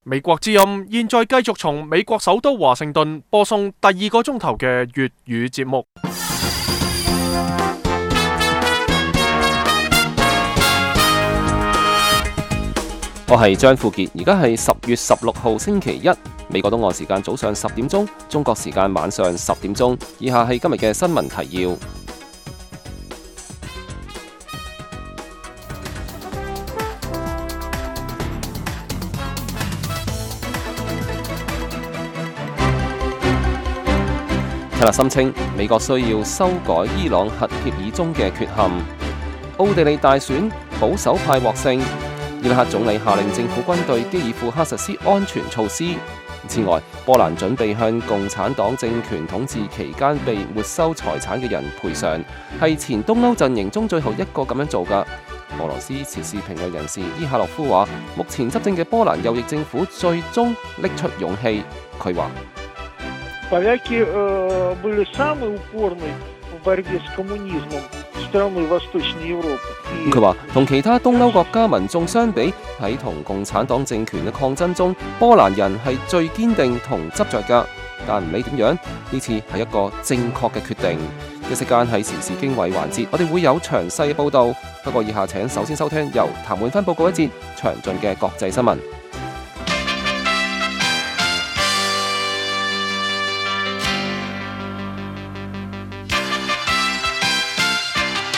美國之音現在繼續從美國首都華盛頓播送第2個鐘頭嘅粵語節目。我係張富傑，而家係10月16號星期一，美國東岸時間早上10點鐘，中國時間晚上10點鐘。以下係今日嘅新聞提要。泰勒森稱，美國需要修改伊朗核協議中嘅缺陷。奧地利大選，保守派獲勝。伊拉克總理下令政府軍對基爾庫克實施安全措施。此外，波蘭準備向共產黨政權統治期間被沒收財產嘅人賠償，係前東歐陣營中最後一個咁樣做㗎。俄羅斯時事評論人士伊夏洛夫話，目前執政嘅波蘭右翼政府最終拎出勇氣。佢話Поляки были самые упорные в борьбе с коммунизмом страны Восточной Европы。佢話同其他東歐國家民眾相比，喺同共產黨政權嘅抗爭中，波蘭人係最堅定同執着㗎。但唔理點樣，呢次係一個正確嘅決定。一息間喺時事經緯環節，我哋會有詳細報導。不過以下請首先收聽由譚滿芬報告一節詳盡嘅國際新聞。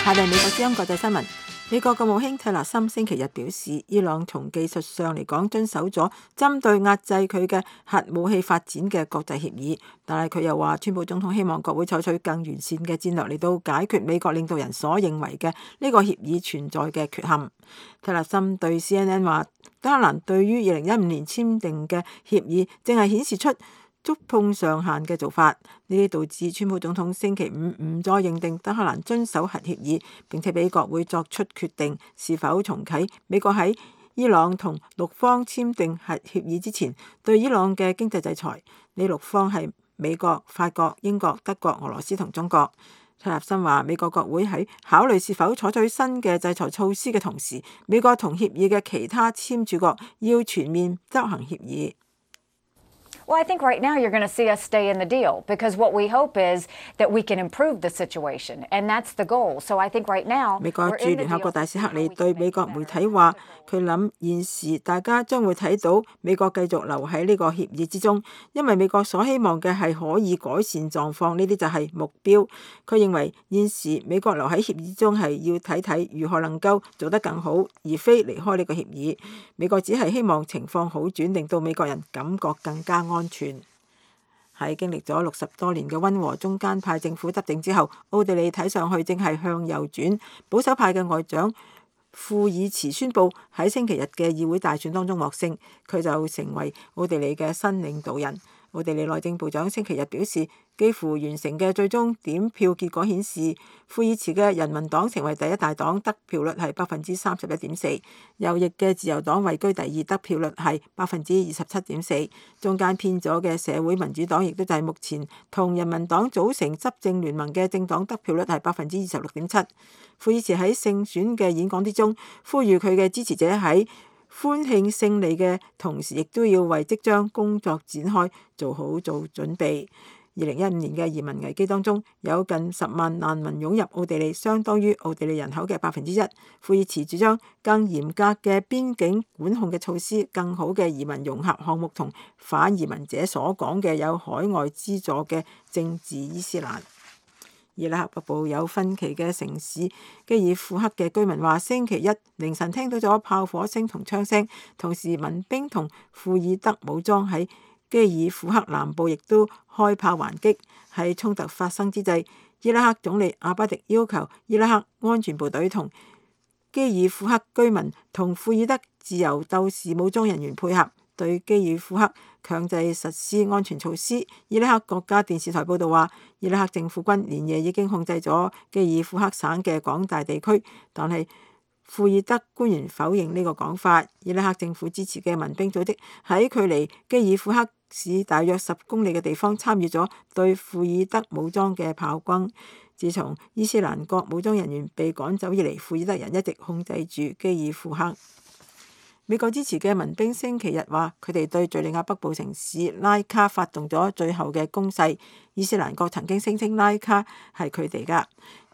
下嚟美國之音國際新聞。美國國務卿泰勒森星期日表示，伊朗從技術上嚟講遵守咗針對壓制佢嘅核武器發展嘅國際協議，但係佢又話，川普總統希望國會採取更完善嘅戰略嚟到解決美國領導人所認為嘅呢個協議存在嘅缺陷。泰勒森對 CNN 話，德黑蘭對於2015年簽訂嘅協議正係顯示出觸碰上限嘅做法，呢啲導致川普總統星期五唔再認定德黑蘭遵守核協議，並且俾國會作出決定是否重啟美國喺伊朗同6方簽訂核協議之前對伊朗嘅經濟制裁。呢6方係美國、法國、英國、德國、俄羅斯同中國。泰勒森話，美國國會喺考慮是否採取新嘅制裁措施嘅同時，美國同協議嘅其他簽署國要全面執行協議。Well, I think right now you're going to see us stay in the deal because what we hope is that we can improve the situation, and that's the goal. So I think right now 美國駐聯合國大使克里對美國媒體話，佢諗現時大家將會睇到美國繼續留喺呢個協議之中，因為美國所希望嘅係可以改善狀況，呢啲就係目標。佢認為現時美國留喺協議之中係要睇睇如何能夠做得更好，而非離開呢個協議。美國只係希望情況好轉，令到美國人感覺更加安全。喺經歷咗60多年嘅溫和中間派政府執政之後，奧地利睇上去正係向右轉。保守派嘅外長庫爾茨宣布喺星期日嘅議會大選當中獲勝，佢就成為奧地利嘅新領導人。奧地利內政部長星期日表示，幾乎完成嘅最終點票結果顯示，庫爾茨嘅人民黨成為第一大黨，得票率係31.4%；右翼嘅自由黨位居第二，得票率係27.4%；中間偏左嘅社會民主黨亦都就係目前同人民黨組成執政聯盟嘅政黨，得票率係26.7%。庫爾茨喺勝選嘅演講之中，呼籲佢嘅支持者喺歡慶勝利嘅同時，亦都要為即將工作展開做準備。2015年嘅移民危機當中，有近10萬難民湧入奧地利，相當於奧地利人口嘅1%。庫爾茨主張更嚴格嘅邊境管控嘅措施、更好嘅移民融合項目同反移民者所講嘅有海外資助嘅政治伊斯蘭。伊拉克北部有分歧嘅城市基爾庫克嘅居民話，星期一凌晨聽到咗炮火聲同槍聲，同時民兵同庫爾德武裝喺基爾庫克南部亦都開炮還擊。喺衝突發生之際，伊拉克總理阿巴迪要求伊拉克安全部隊同基爾庫克居民同庫爾德自由鬥士武裝人員配合，對基爾庫克強制實施安全措施。伊拉克國家電視台報道話，伊拉克政府軍連夜已經控制咗基爾庫克省嘅廣大地區，但係庫爾德官員否認呢個講法。伊拉克政府支持嘅民兵組織喺距離基爾庫克市大約10公里嘅地方參與咗對庫爾德武裝嘅炮轟。自從伊斯蘭國武裝人員被趕走以嚟，庫爾德人一直控制住基爾庫克。美國支持嘅民兵星期日話，佢哋對敘利亞北部城市拉卡發動咗最後嘅攻勢。伊斯蘭國曾經聲稱拉卡係佢哋㗎。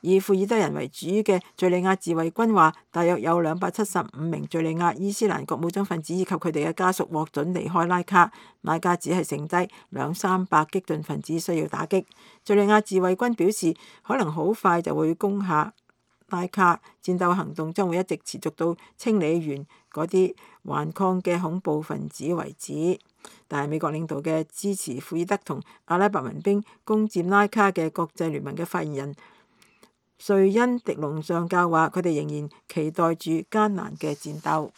以庫爾德人為主嘅敘利亞自衛軍話，大約有275名敘利亞伊斯蘭國武裝分子以及佢哋嘅家屬獲准離開拉卡。拉卡只係剩低200-300激進分子需要打擊。敘利亞自衛軍表示，可能好快就會攻下拉卡，戰鬥行動將會一直持續到清理完嗰啲頑抗嘅恐怖分子為止。但係美國領導嘅支持庫爾德同阿拉伯民兵攻佔拉卡嘅國際聯盟嘅發言人瑞恩迪龍上校話，佢哋仍然期待住艱難嘅戰鬥。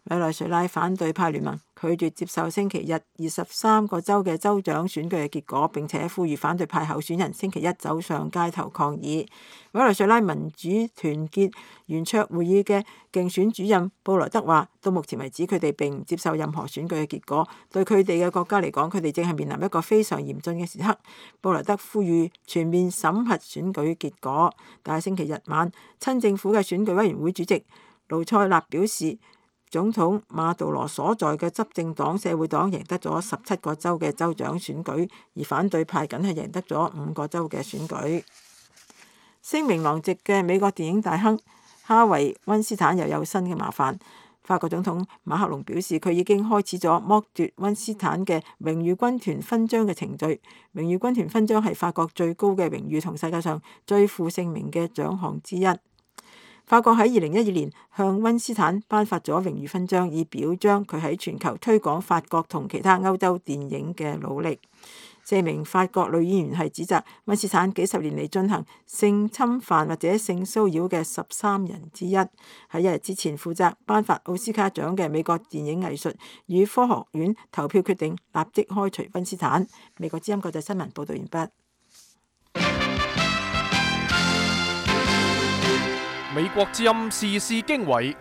委內瑞拉反對派聯盟拒絕接受星期日23個州嘅州長選舉嘅結果，並且呼籲反對派候選人星期一走上街頭抗議。委內瑞拉民主團結圓桌會議嘅競選主任布萊德話，到目前為止佢哋並唔接受任何選舉嘅結果，對佢哋嘅國家嚟講，佢哋正係面臨一個非常嚴峻嘅時刻。布萊德呼籲全面審核選舉結果，但係星期日晚親政府嘅選舉委員會主席盧塞納表示，總統馬杜羅所在嘅執政黨社會黨贏得咗17個州嘅州長選舉，而反對派僅係贏得咗5個州嘅選舉。聲名狼藉嘅美國電影大亨哈維·溫斯坦又有新嘅麻煩。法國總統馬克龍表示，佢已經開始咗剝奪溫斯坦嘅榮譽軍團勳章嘅程序。榮譽軍團勳章係法國最高嘅榮譽同世界上最負盛名嘅獎項之一。法國喺2012年向溫斯坦頒發咗榮譽勳章，以表彰佢喺全球推廣法國同其他歐洲電影嘅努力。4名法國女演員係指責溫斯坦幾十年嚟進行性侵犯或者性騷擾嘅13人之一。喺1日之前負責頒發奧斯卡獎嘅美國電影藝術與科學院投票決定立即開除溫斯坦。美國之音國際新聞報道完畢。美國之音時事經緯，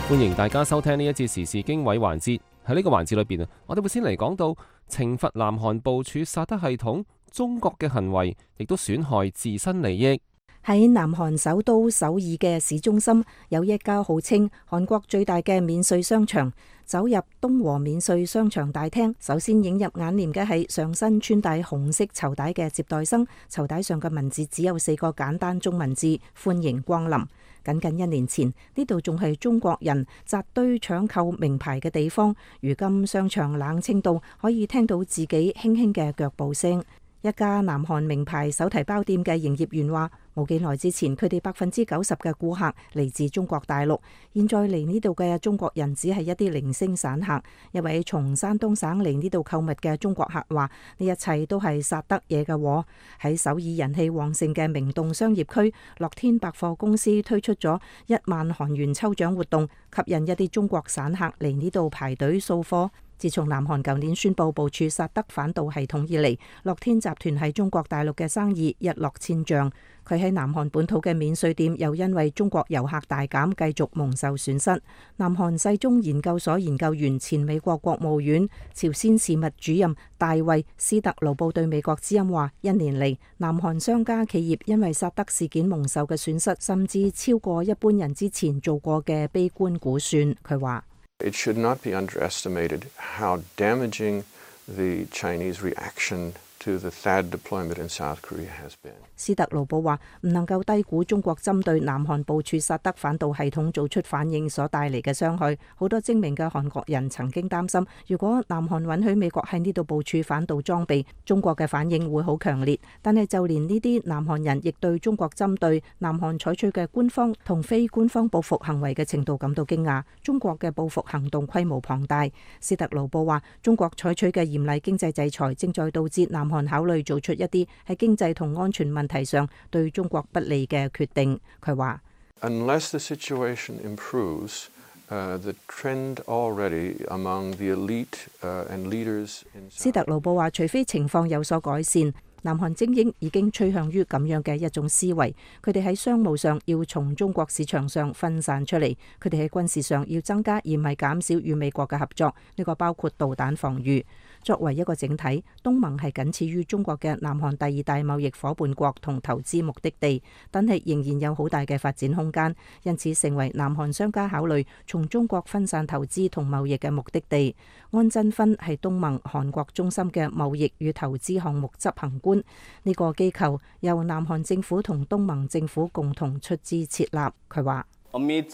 歡迎大家收聽呢一節時事經緯環節。喺呢個環節裏邊啊，我哋會先嚟講到懲罰南韓部署薩德系統，中國嘅行為亦都損害自身利益。喺南韓首都首爾嘅市中心，有一家號稱韓國最大嘅免稅商場。走入東和免稅商場大廳，首先映入眼簾嘅係上身穿戴紅色綢帶嘅接待生，綢帶上嘅文字只有4個簡單中文字：歡迎光臨。僅僅1年前，呢度仲係中國人紮堆搶購名牌嘅地方，如今商場冷清到可以聽到自己輕輕嘅腳步聲。一家南韓名牌手提包店嘅營業員話，冇幾耐之前，佢哋90%嘅顧客嚟自中國大陸，現在嚟呢度嘅中國人只係一啲零星散客。一位從山東省嚟呢度購物嘅中國客話，呢一切都係薩德惹嘅禍。喺首爾人氣旺盛嘅明洞商業區，樂天百貨公司推出咗1萬韓元抽獎活動，吸引一啲中國散客嚟呢度排隊掃貨。自從南韓舊年宣布部署薩德反導系統以嚟，樂天集團喺中國大陸嘅生意一落千丈。佢喺南韓本土嘅免稅店又因為中國遊客大減，繼續蒙受損失。南韓世宗研究所研究員、前美國國務院朝鮮事務主任大衛斯特勞布對美國之音話：1年嚟，南韓商家企業因為薩德事件蒙受嘅損失，甚至超過一般人之前做過嘅悲觀估算。佢話：It should not be underestimated how damaging the Chinese reaction to the THAAD deployment in South Korea has been. 斯特勞布話：唔能夠低估中國針對南韓部署薩德反導系統做出反應所帶嚟嘅傷害。好多精明嘅韓國人曾經擔心，如果南韓允許美國喺呢度部署反導裝備，中國嘅反應會好強烈。但係就連呢啲南韓人亦對中國針對南韓採取嘅官方同非官方報復行為嘅程度感到驚訝。中國嘅報復行動規模龐大。斯特勞布話：中國採取嘅嚴厲經濟制裁正在導致南韓考慮做出一啲喺經濟同安全問題上對中國不利嘅決定。佢話：Unless the situation improves, the trend already among the elite and leaders in 斯特勞布話：除非情況有所改善，南韓精英已經趨向於咁樣嘅一種思維，佢哋喺商務上要從中國市場上分散出嚟，佢哋喺軍事上要增加而唔係減少與美國嘅合作，呢個包括導彈防禦。作為一個整體，東盟係僅次於中國嘅南韓第二大貿易夥伴國同投資目的地，但係仍然有好大嘅發展空間，因此成為南韓商家考慮從中國分散投資同貿易嘅目的地。安珍勳係東盟韓國中心嘅貿易與投資項目執行官，呢個機構由南韓政府同東盟政府共同出資設立。佢話：Amid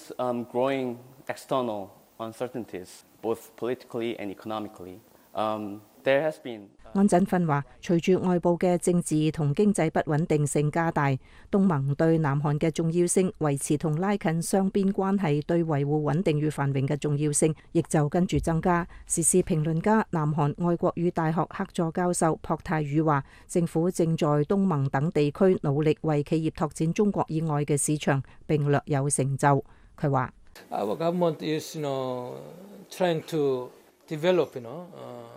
growing external uncertainties, both politically and economically, there has been。安珍勳話：隨住外部嘅政治同經濟不穩定性加大，東盟對南韓嘅重要性、維持同拉近雙邊關係、對維護穩定與繁榮嘅重要性，亦就跟住增加。時事評論家、南韓外國語大學客座教授朴泰宇話：政府正在東盟等地區努力為企業拓展中國以外嘅市場，並略有成就。佢話：Our government is, trying to develop,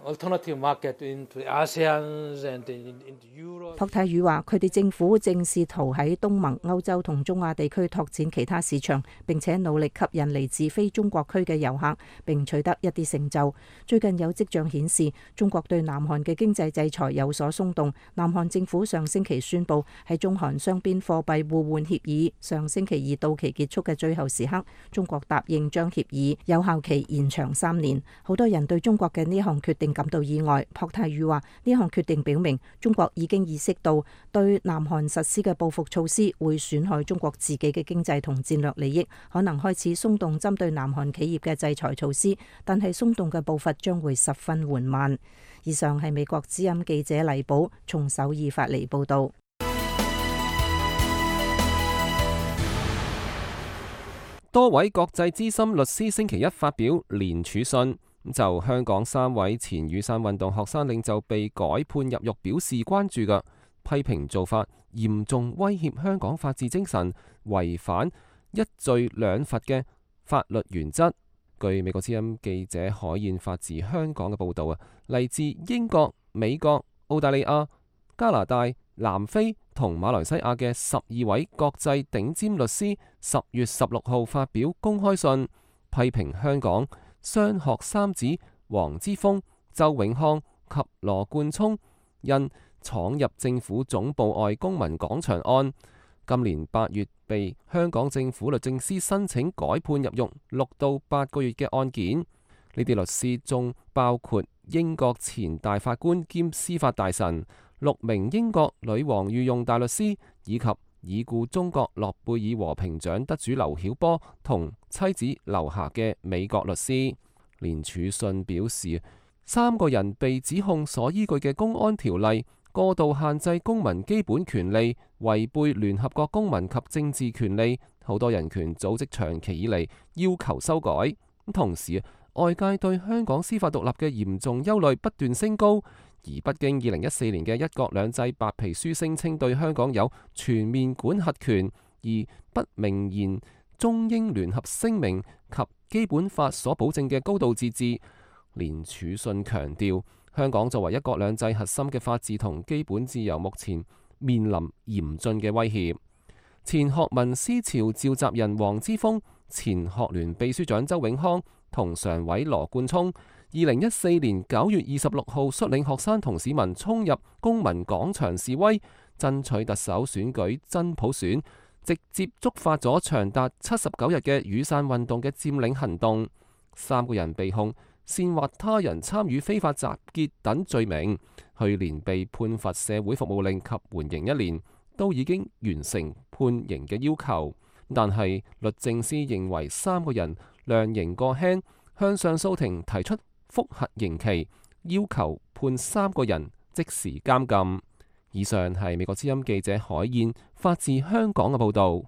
alternative market into ASEAN and into Europe。朴泰宇話：佢哋政府正試圖喺東盟、歐洲同中亞地區拓展其他市場，並且努力吸引嚟自非中國區嘅遊客，並取得一啲成就。最近有跡象顯示，中國對南韓嘅經濟制裁有所鬆動。南韓政府上星期宣布，喺中韓雙邊貨幣互換協議上星期二到期結束嘅最後時刻，中國答應將協議有效期延長3年。好多人對中國嘅呢項決定感到意外。朴泰宇話：呢項決定表明中國已經意識到對南韓實施嘅報復措施會損害中國自己嘅經濟同戰略利益，可能開始鬆動針對南韓企業嘅制裁措施，但係鬆動嘅步伐將會十分緩慢。以上係美國之音記者黎寶從首爾發嚟報道。多位國際資深律師星期一發表聯署信，就香港3位前雨傘運動學生領袖被改判入獄表示關注嘅，批評做法嚴重威脅香港法治精神，違反一罪兩罰嘅法律原則。據美國之音記者海燕發自香港嘅報導啊，嚟自英國、美國、澳大利亞、加拿大、南非同馬來西亞嘅12位國際頂尖律師10月16號發表公開信，批評香港雙學三子黃之鋒、周永康及羅冠聰因闖入政府總部外公民廣場案，今年8月被香港政府律政司申請改判入獄6到8個月嘅案件。呢啲律師中包括英國前大法官兼司法大臣、6名英國女王御用大律師，以及已故中國諾貝爾和平獎得主劉曉波同妻子劉霞嘅美國律師。聯署信表示，3個人被指控所依據嘅公安條例過度限制公民基本權利，違背聯合國公民及政治權利，好多人權組織長期以嚟要求修改。同時，外界對香港司法獨立嘅嚴重憂慮不斷升高，而北京2014年嘅一國兩制白皮書聲稱對香港有全面管轄權，而不明言中英聯合聲明及基本法所保證嘅高度自治。聯署信強調，香港作為一國兩制核心嘅法治同基本自由，目前面臨嚴峻嘅威脅。前學民思潮召集人黃之鋒、前學聯秘書長周永康同常委羅冠聰2014年9月26號率領學生同市民衝入公民廣場示威，爭取特首選舉真普選，直接觸發咗長達79日嘅雨傘運動嘅佔領行動。3個人被控煽惑他人參與非法集結等罪名，去年被判罰社會服務令及緩刑1年，都已經完成判刑嘅要求。但係律政司認為3個人量刑過輕，向上訴庭提出覆核刑期，要求判3個人即時監禁。以上係美國之音記者海燕發自香港嘅報導。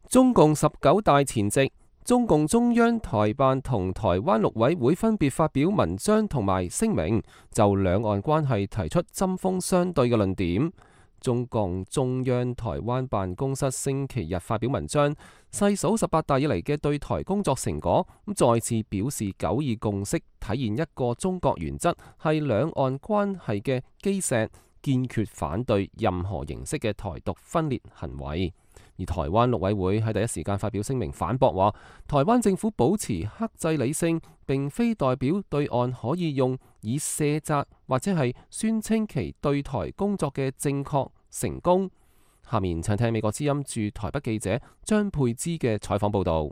中共19大前夕，中共中央台辦同台灣陸委會分別發表文章同埋聲明，就兩岸關係提出針鋒相對嘅論點。中共中央台灣辦公室星期日發表文章，細數18大以嚟嘅對台工作成果，再次表示九二共識體現一個中國原則係兩岸關係嘅基石，堅決反對任何形式嘅台獨分裂行為。而台灣陸委會喺第一時間發表聲明反駁話，台灣政府保持克制理性，並非代表對岸可以用以卸責或者係宣稱其對台工作嘅正確成功。下面請聽美國之音駐台北記者張佩芝嘅採訪報導。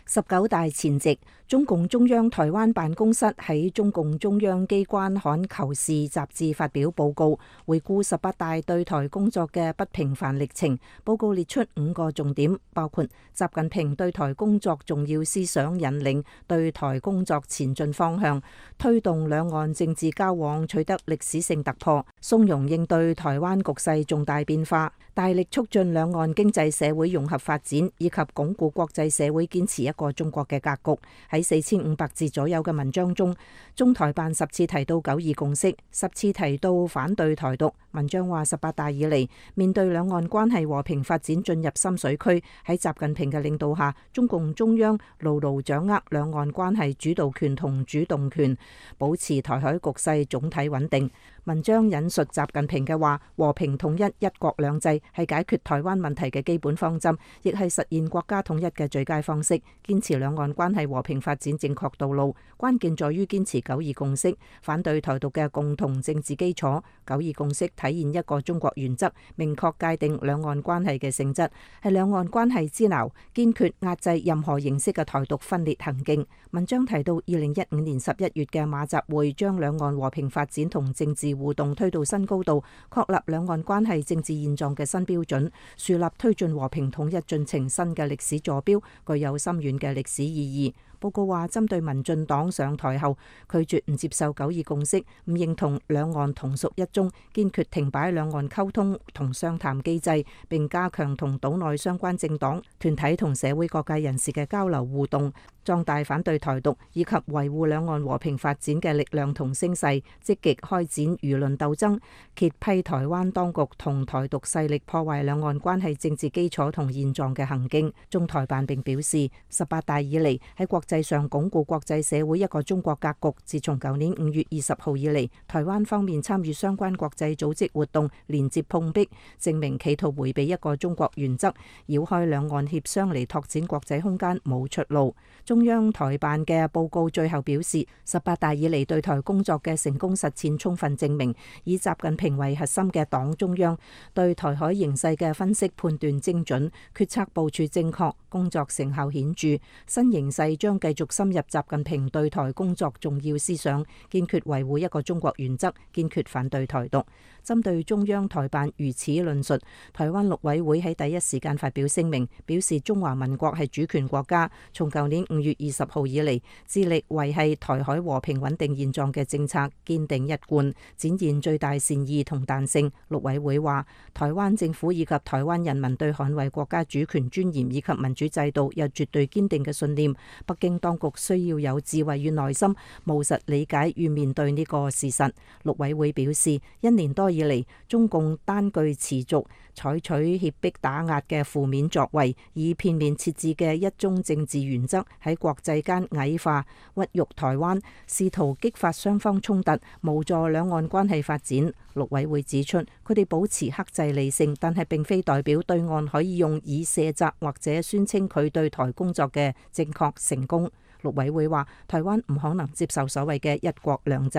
19大前夕，中共中央台灣辦公室喺中共中央機關刊《求是》雜誌發表報告，回顧18大對台工作嘅不平凡歷程。報告列出5個重點，包括習近平對台工作重要思想引領、對台工作前進方向、推動兩岸政治交往取得歷史性突破、從容應對台灣局勢重大變化、大力促進兩岸經濟社會融合發展，以及鞏固國際社會堅持一個中國嘅格局。喺4500字左右嘅文章中，中台辦10次提到九二共識，10次提到反對台獨。文章話18大以嚟，面對兩岸關係和平發展進入深水區，喺習近平嘅領導下，中共中央牢牢掌握兩岸關係主導權同主動權，保持台海局勢總體穩定。文章引述習近平嘅話：和平統一、一國兩制係解決台灣問題嘅基本方針，亦係實現國家統一嘅最佳方式。堅持兩岸關係和平發展正確道路，關鍵在於堅持九二共識，反對台獨嘅共同政治基礎。九二共識體現一個中國原則，明確界定兩岸關係嘅性質，係兩岸關係之錨，堅決壓制任何形式嘅台獨分裂行徑。文章提到2015年11月嘅馬習會，將兩岸和平發展同政治互動推到新高度，確立兩岸關係政治現狀嘅新標準，樹立推進和平統一進程新嘅歷史坐標，具有深遠嘅歷史意義。報告話，針對民進黨上台後拒絕唔接受九二共識，唔認同兩岸同屬一中，堅決停擺兩岸溝通同商談機制，並加強同島內相關政黨、團體同社會各界人士嘅交流互動，壯大反對台獨以及維護兩岸和平發展嘅力量同聲勢，積極開展輿論鬥爭，揭批台灣當局同台獨勢力破壞兩岸關係政治基礎同現狀嘅行徑。中台辦並表示，18大以嚟喺國際上鞏固國際社會一個中國格局。自從舊年5月20號以嚟，台灣方面參與相關國際組織活動，連接碰壁，證明企圖迴避一個中國原則，繞開兩岸協商嚟拓展國際空間冇出路。中央台辦嘅報告最後表示，18大以嚟對台工作嘅成功實踐，充分證明以習近平為核心嘅黨中央對台海形勢嘅分析判斷精準，決策部署正確，工作成效顯著。新形勢將繼續深入習近平對台工作重要思想，堅決維護一個中國原則，堅決反對台獨。針對中央台辦如此論述，台灣陸委會喺第一時間發表聲明，表示中華民國係主權國家，從舊年5月20號以嚟，致力維繫台海和平穩定現狀嘅政策堅定一貫，展現最大善意同彈性。陸委會話，台灣政府以及台灣人民對捍衛國家主權尊嚴以及民主制度有絕對堅定嘅信念。北京當局需要有智慧與耐心，務實理解與面對呢個事實。陸委會表示，1年多以嚟，中共單據持續採取脅迫打壓嘅負面作為，以片面設置嘅一中政治原則喺國際間矮化、屈辱台灣，試圖激發雙方衝突，無助兩岸關係發展。陸委會指出，佢哋保持克制理性，但係並非代表對岸可以用以卸責或者宣稱佢對台工作嘅正確成功。陸委會話，台灣唔可能接受所謂嘅一國兩制。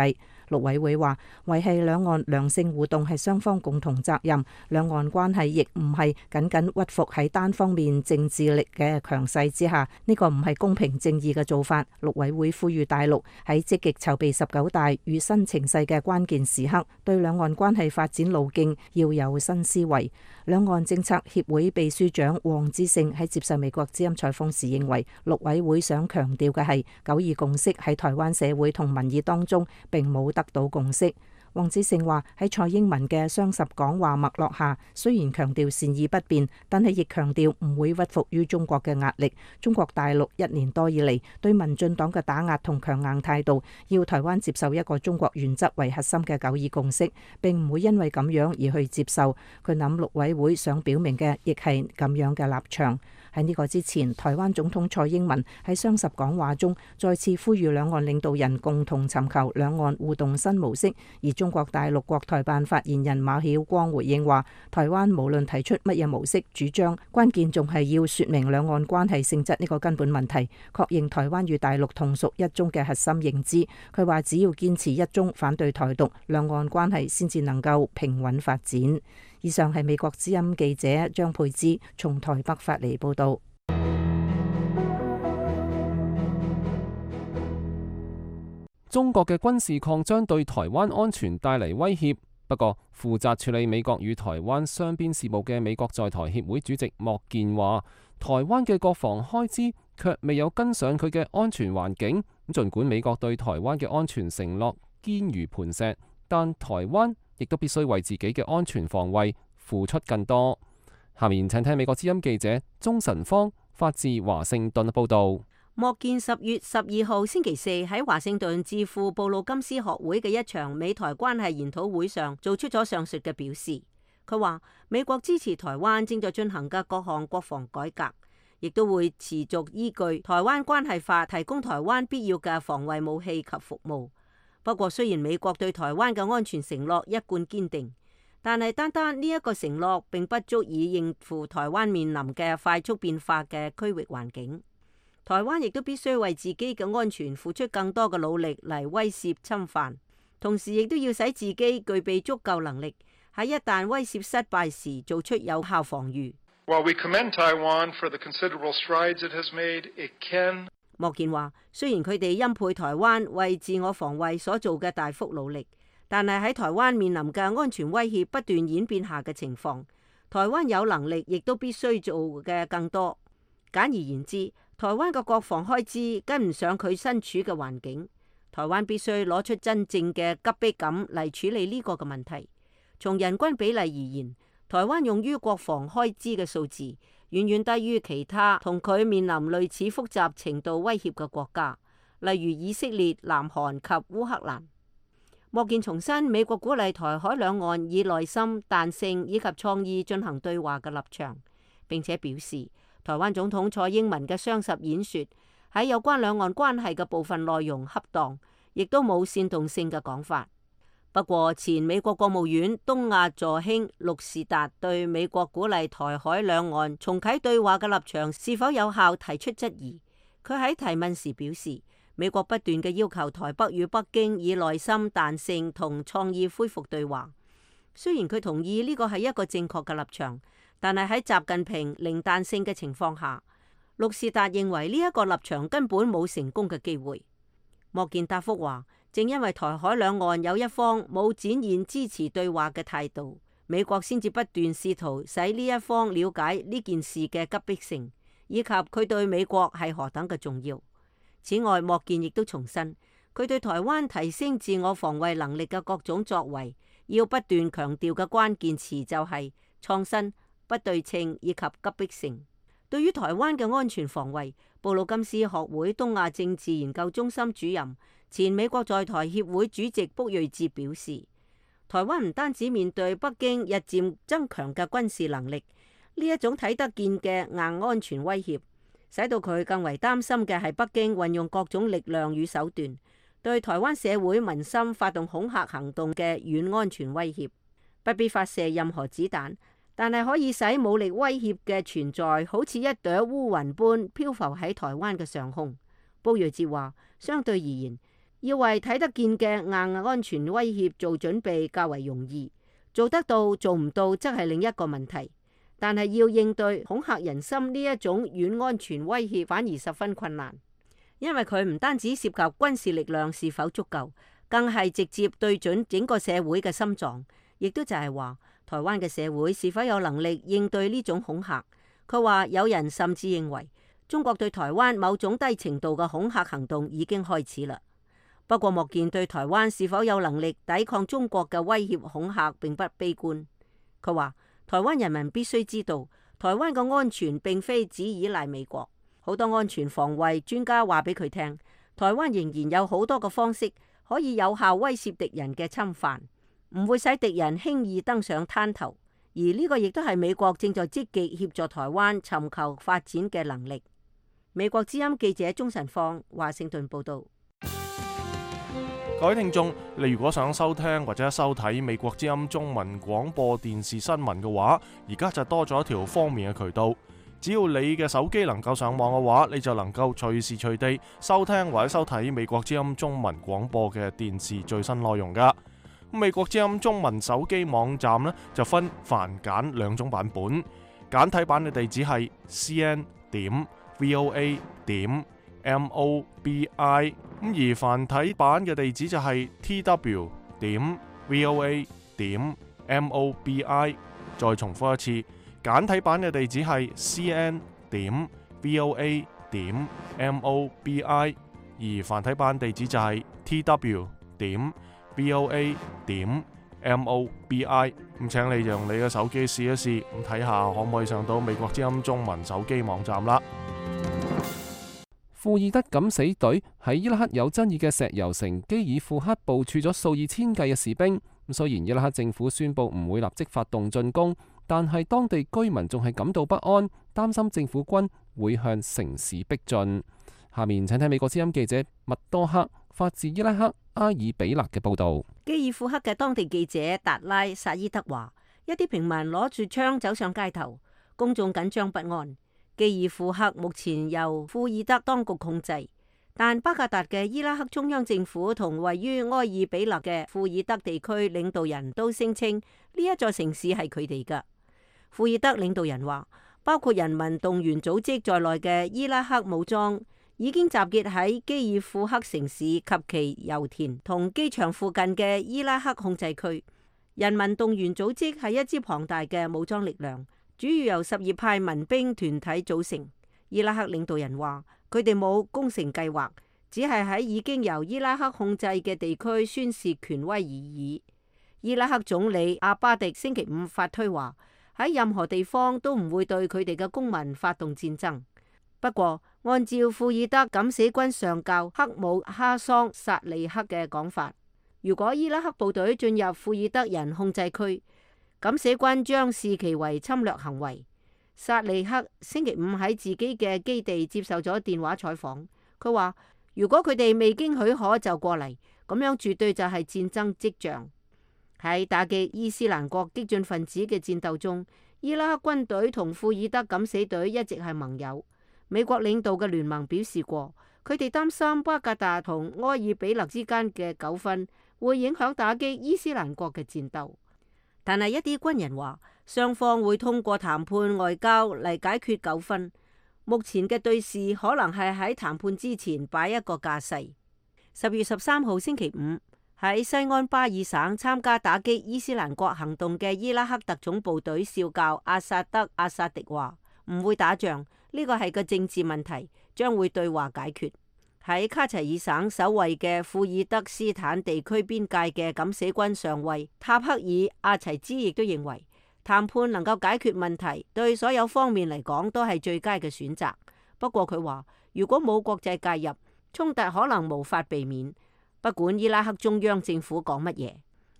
陸委會話，維繫兩岸良性互動係雙方共同責任，兩岸關係亦唔係僅僅屈服喺單方面政治力嘅強勢之下，呢個唔係公平正義嘅做法。陸委會呼籲大陸喺積極籌備19大與新情勢嘅關鍵時刻，對兩岸關係發展路徑要有新思維。兩岸政策協會秘書長黃之勝喺接受美國之音採訪時認為，陸委會想強調嘅係九二共識喺台灣社會同民意當中並冇得到共識。黃志勝話喺蔡英文嘅雙十講話脈絡下，雖然強調善意不變，但係亦強調唔會屈服於中國嘅壓力。中國大陸1年多以嚟對民進黨嘅打壓同強硬態度，要台灣接受一個中國原則為核心嘅九二共識，並唔會因為咁樣而去接受。佢諗陸委會想表明嘅亦係咁樣嘅立場。喺呢個之前，台灣總統蔡英文喺雙十講話中再次呼籲兩岸領導人共同尋求兩岸互動新模式。而中國大陸國台辦發言人馬曉光回應話，台灣無論提出乜嘢模式主張，關鍵仲係要說明兩岸關係性質呢個根本問題，確認台灣與大陸同屬一中嘅核心認知。佢話只要堅持一中，反對台獨，兩岸關係先至能夠平穩發展。以上係美國之音記者張佩芝從台北發嚟報道。中國嘅軍事擴張對台灣安全帶嚟威脅，不過負責處理美國與台灣雙邊事務嘅美國在台協會主席莫健話，台灣嘅國防開支卻未有跟上佢嘅安全環境。儘管美國對台灣嘅安全承諾堅如磐石，但台灣亦都必須為自己嘅安全防衛付出更多。下面請聽美國之音記者鍾晨芳發自華盛頓報導。莫健10月12號星期四喺華盛頓智庫布魯金斯學會嘅一場美台關係研討會上做出咗上述嘅表示。佢話美國支持台灣正在進行嘅各項國防改革，亦都會持續依據台灣關係法提供台灣必要嘅防衛武器及服務。不過雖然美國對台灣嘅安全承諾一貫堅定，但係單單呢一個承諾並不足以應付台灣面臨嘅快速變化嘅區域環境。台灣亦都必須為自己嘅安全付出更多嘅努力嚟威懾侵犯，同時亦都要使自己具備足夠能力，喺一旦威懾失敗時做出有效防禦。莫健話，雖然佢哋欽佩台灣為自我防衛所做嘅大幅努力，但係喺台灣面臨嘅安全威脅不斷演變下嘅情況，台灣有能力亦都必須做嘅更多。簡而言之，台灣嘅國防開支跟唔上佢身處嘅環境，台灣必須攞出真正嘅急迫感嚟處理呢個嘅問題。從人均比例而言，台灣用於國防開支嘅數字遠遠低於其他同佢面臨類似複雜程度威脅嘅國家，例如以色列、南韓及烏克蘭。莫健重申美國鼓勵台海兩岸以耐心、彈性以及創意進行對話嘅立場，並且表示，台灣總統蔡英文嘅雙十演說喺有關兩岸關係嘅部分內容恰當，亦都冇煽動性嘅講法。不過，前美國國務院東亞助卿陸士達對美國鼓勵台海兩岸重啟對話嘅立場是否有效提出質疑。佢喺提問時表示，美國不斷嘅要求台北與北京以耐心、彈性同創意恢復對話。雖然佢同意呢個係一個正確嘅立場，但係喺習近平零彈性嘅情況下，陸士達認為呢一個立場根本冇成功嘅機會。莫健答覆話，正因為台海兩岸有一方冇展現支持對話嘅態度，美國先至不斷試圖使呢一方了解呢件事嘅急迫性，以及佢對美國係何等嘅重要。此外，莫健亦都重申，佢對台灣提升自我防衛能力嘅各種作為，要不斷強調嘅關鍵詞就係創新、不對稱以及急迫性。對於台灣嘅安全防衛，布魯金斯學會東亞政治研究中心主任、前美國在台協會主席卜睿哲表示，台灣唔單止面對北京日漸增強嘅軍事能力，呢一種睇得見嘅硬安全威脅，使到佢更為擔心嘅係北京運用各種力量與手段，對台灣社會民心發動恐嚇行動嘅軟安全威脅。不必發射任何子彈，但係可以使武力威脅嘅存在好似一朵烏雲般漂浮喺台灣嘅上空。卜睿哲話，相對而言，要為睇得見嘅硬安全威脅做準備較為容易，做得到做唔到則係另一個問題。但係要應對恐嚇人心呢一種軟安全威脅反而十分困難，因為佢唔單止涉及軍事力量是否足夠，更係直接對準整個社會嘅心臟，亦都就係話台灣嘅社會是否有能力應對呢種恐嚇。佢話有人甚至認為中國對台灣某種低程度嘅恐嚇行動已經開始啦。不過莫健對台灣是否有能力抵抗中國嘅威脅恐嚇並不悲觀。佢話台灣人民必須知道，台灣嘅安全並非只依賴美國，好多安全防衛專家話俾佢聽，台灣仍然有好多嘅方式可以有效威懾敵人嘅侵犯，唔會使敵人輕易登上灘頭。而呢個亦都係美國正在積極協助台灣尋求發展嘅能力。美國之音記者鍾晨放華盛頓報道。各位聽眾，你如果想收聽或者收睇美國之音中文廣播電視新聞嘅話，而家就多咗一條方便嘅渠道。只要你嘅手機能夠上網嘅話，你就能夠隨時隨地收聽或者收睇美國之音中文廣播嘅電視最新內容噶。美國之音中文手機網站呢，就分繁簡兩種版本，簡體版嘅地址係 cn.voa.mobi， 而繁體版嘅地址就係 tw.voa.mobi。 再重複一次，簡體版嘅地址係 cn.voa.mobi， 而繁體版地址就係 tw.voa.mobi。咁請你用你嘅手機試一試，咁睇下可唔可以上到美國之音中文手機網站啦。庫爾德敢死隊喺伊拉克有爭議嘅石油城基爾庫克部署咗數以千計嘅士兵。雖然伊拉克政府宣布唔會立即發動進攻，但係當地居民仲係感到不安，擔心政府軍會向城市逼進。下面請睇美國之音記者麥多克發自伊拉克阿爾比勒嘅報道。基爾庫克嘅當地記者達拉薩伊德話，一啲平民攞住槍走上街頭，公眾緊張不安。基爾庫克目前由庫爾德當局控制，但巴格達嘅伊拉克中央政府同位於埃爾比勒嘅庫爾德地區領導人都聲稱呢一座城市係佢哋㗎。庫爾德領導人話，包括人民動員組織在內嘅伊拉克武裝已經集結喺基爾庫克城市及其油田同機場附近嘅伊拉克控制區。人民動員組織係一支龐大嘅武裝力量，主要由什葉派民兵團體組成。伊拉克領導人話，佢哋冇攻城計劃，只係喺已經由伊拉克控制嘅地區宣示權威而已。伊拉克總理阿巴迪星期五發推話，喺任何地方都唔會對佢哋嘅公民發動戰爭。不過，按照庫爾德敢死軍上校克姆哈桑薩利克嘅講法，如果伊拉克部隊進入庫爾德人控制區，敢死軍將視其為侵略行為。薩利克星期五喺自己嘅基地接受咗電話採訪，佢話如果佢哋未經許可就過嚟，咁樣絕對就係戰爭跡象。喺打擊伊斯蘭國激進分子嘅戰鬥中，伊拉克軍隊同庫爾德敢死隊一直係盟友。美國領導嘅聯盟表示過，佢哋擔心巴格達同埃爾比勒之間嘅糾紛會影響打擊伊斯蘭國嘅戰鬥。但係一啲軍人話，雙方會通過談判外交嚟解決糾紛。目前嘅對峙可能係喺談判之前擺一個架勢。10月13號星期五，喺西安巴爾省參加打擊伊斯蘭國行動嘅伊拉克特種部隊少校阿薩德阿薩迪話，唔會打仗，呢個係個政治問題，將會對話解決。喺卡齊爾省守衛嘅庫爾德斯坦地區邊界嘅敢死軍上尉塔克爾阿齊茲亦都認為，談判能夠解決問題，對所有方面嚟講都係最佳嘅選擇。不過佢話，如果冇國際介入，衝突可能無法避免，不管伊拉克中央政府講乜嘢。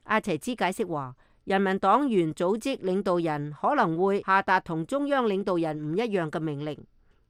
阿齊茲解釋話，人民黨員組織領導人可能會下達同中央領導人唔一樣嘅命令。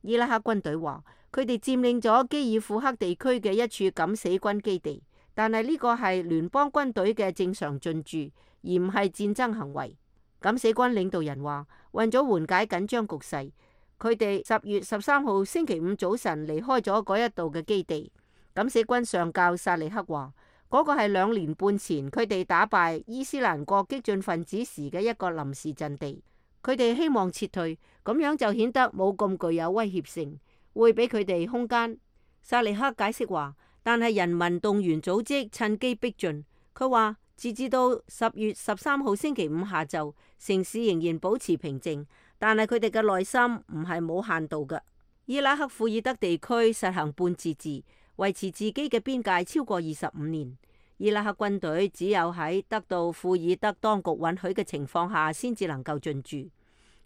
伊拉克軍隊話，佢哋佔領咗基爾庫克地區嘅一處敢死軍基地，但係呢個係聯邦軍隊嘅正常進駐，而唔係戰爭行為。敢死軍領導人話，為咗緩解緊張局勢，佢哋10月13號星期五早晨離開咗嗰一度嘅基地。敢死軍上校薩利克話，嗰個係2年半前佢哋打敗伊斯蘭國激進分子時嘅一個臨時陣地。佢哋希望撤退，咁樣就顯得冇咁具有威脅性，會俾佢哋空間。薩利克解釋話，但係人民動員組織趁機逼進。佢話，截至到10月13號星期五下晝，城市仍然保持平靜，但係佢哋嘅內心唔係冇限度嘅。伊拉克庫爾德地區實行半自治，維持自己嘅邊界超過25年。伊拉克軍隊只有喺得到庫爾德當局允許嘅情況下，先至能夠進駐。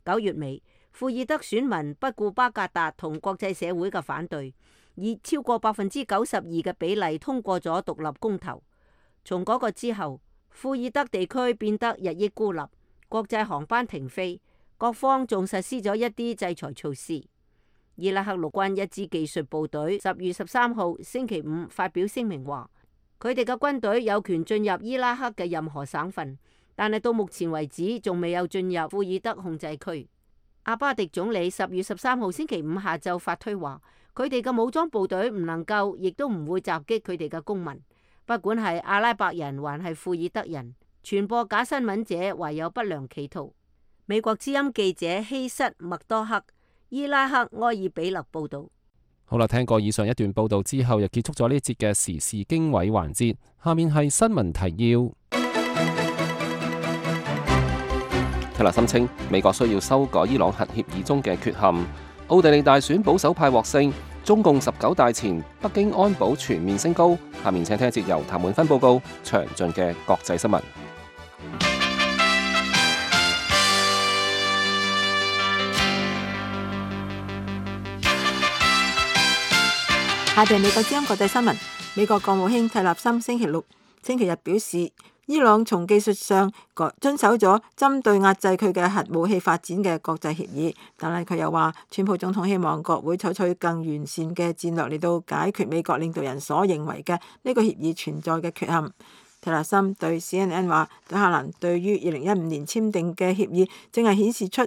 9月尾，庫爾德選民不顧巴格達同國際社會嘅反對，以超過92%嘅比例通過咗獨立公投。從嗰個之後，庫爾德地區變得日益孤立，國際航班停飛，各方仲實施咗一啲制裁措施。伊拉克陸軍一支技術部隊10月13號星期五發表聲明話，佢哋嘅軍隊有權進入伊拉克嘅任何省份，但係到目前為止仲未有進入庫爾德控制區。阿巴迪總理10月13號星期五下晝發推話，佢哋嘅武裝部隊唔能夠，亦都唔會襲擊佢哋嘅公民，不管係阿拉伯人還係庫爾德人。傳播假新聞者懷有不良企圖。美國之音記者希瑟麥多克，伊拉克埃爾比勒報道。好啦，聽過以上一段報道之後，又結束咗呢節嘅時事經緯環節。下面係新聞提要。提勒森稱，美國需要修改伊朗核協議中嘅缺陷。奧地利大選保守派獲勝。中共19大前，北京安保全面升高。下面請聽一節由譚滿芬報告詳盡嘅國際新聞。下邊美國之音國際新聞。美國國務卿蒂勒森星期日表示，伊朗從技術上遵守咗針對壓制佢嘅核武器發展嘅國際協議，但係佢又話，川普總統希望國會採取更完善嘅戰略嚟到解決美國領導人所認為嘅呢個協議存在嘅缺陷。蒂勒森對 CNN 話，德黑蘭對於2015年簽訂嘅協議正係顯示出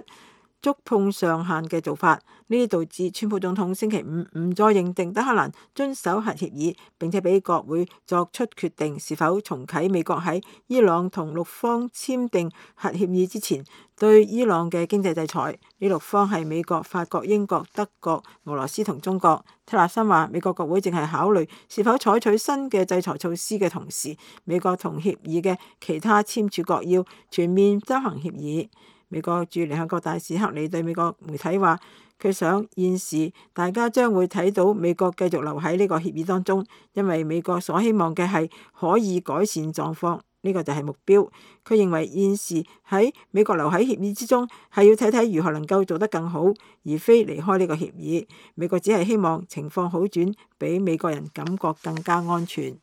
觸碰上限嘅做法，呢啲導致川普總統星期五唔再認定德黑蘭遵守核協議，並且俾國會作出決定是否重啟美國喺伊朗同6方簽訂核協議之前對伊朗嘅經濟制裁。呢6方係美國、法國、英國、德國、俄羅斯同中國。蒂勒森話，美國國會正係考慮是否採取新嘅制裁措施嘅同時，美國同協議嘅其他簽署國要全面執行協議。美國駐聯合國大使克里對美國媒體話，佢想現時大家將會睇到美國繼續留喺呢個協議當中，因為美國所希望嘅係可以改善狀況，呢個就係目標。佢認為現時喺美國留喺協議之中係要睇睇如何能夠做得更好，而非離開呢個協議。美國只係希望情況好轉，俾美國人感覺更加安全。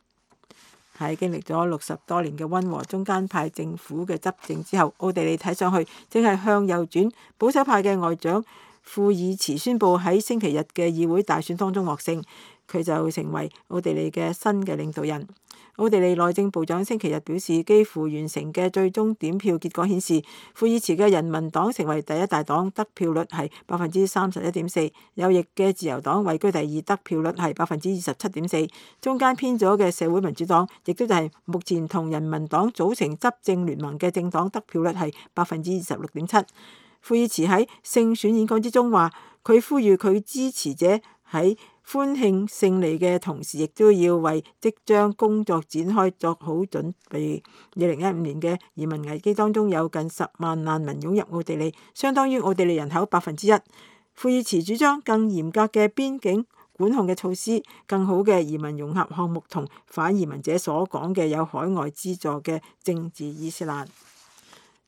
喺經歷咗60多年嘅溫和中間派政府嘅執政之後，奧地利睇上去正係向右轉。保守派嘅外長庫爾茨宣布喺星期日嘅議會大選當中獲勝，佢就成為奧地利嘅新嘅領導人。奧地利內政部長星期日表示，幾乎完成嘅最終點票結果顯示，庫爾茨嘅人民黨成為第一大黨，得票率係31.4%；右翼嘅自由黨位居第二，得票率係27.4%；中間偏左嘅社會民主黨，亦都就係目前同人民黨組成執政聯盟嘅政黨，得票率係26.7%。庫爾茨喺勝選演講之中話，佢呼籲佢支持者喺歡慶勝利嘅同時，亦都要為即將工作展開作好準備。2015年嘅移民危機當中有近10萬難民湧入奧地利，相當於奧地利人口1%。庫爾茨主張更嚴格嘅邊境管控嘅措施、更好嘅移民融合項目同反移民者所講嘅有海外資助嘅政治伊斯蘭。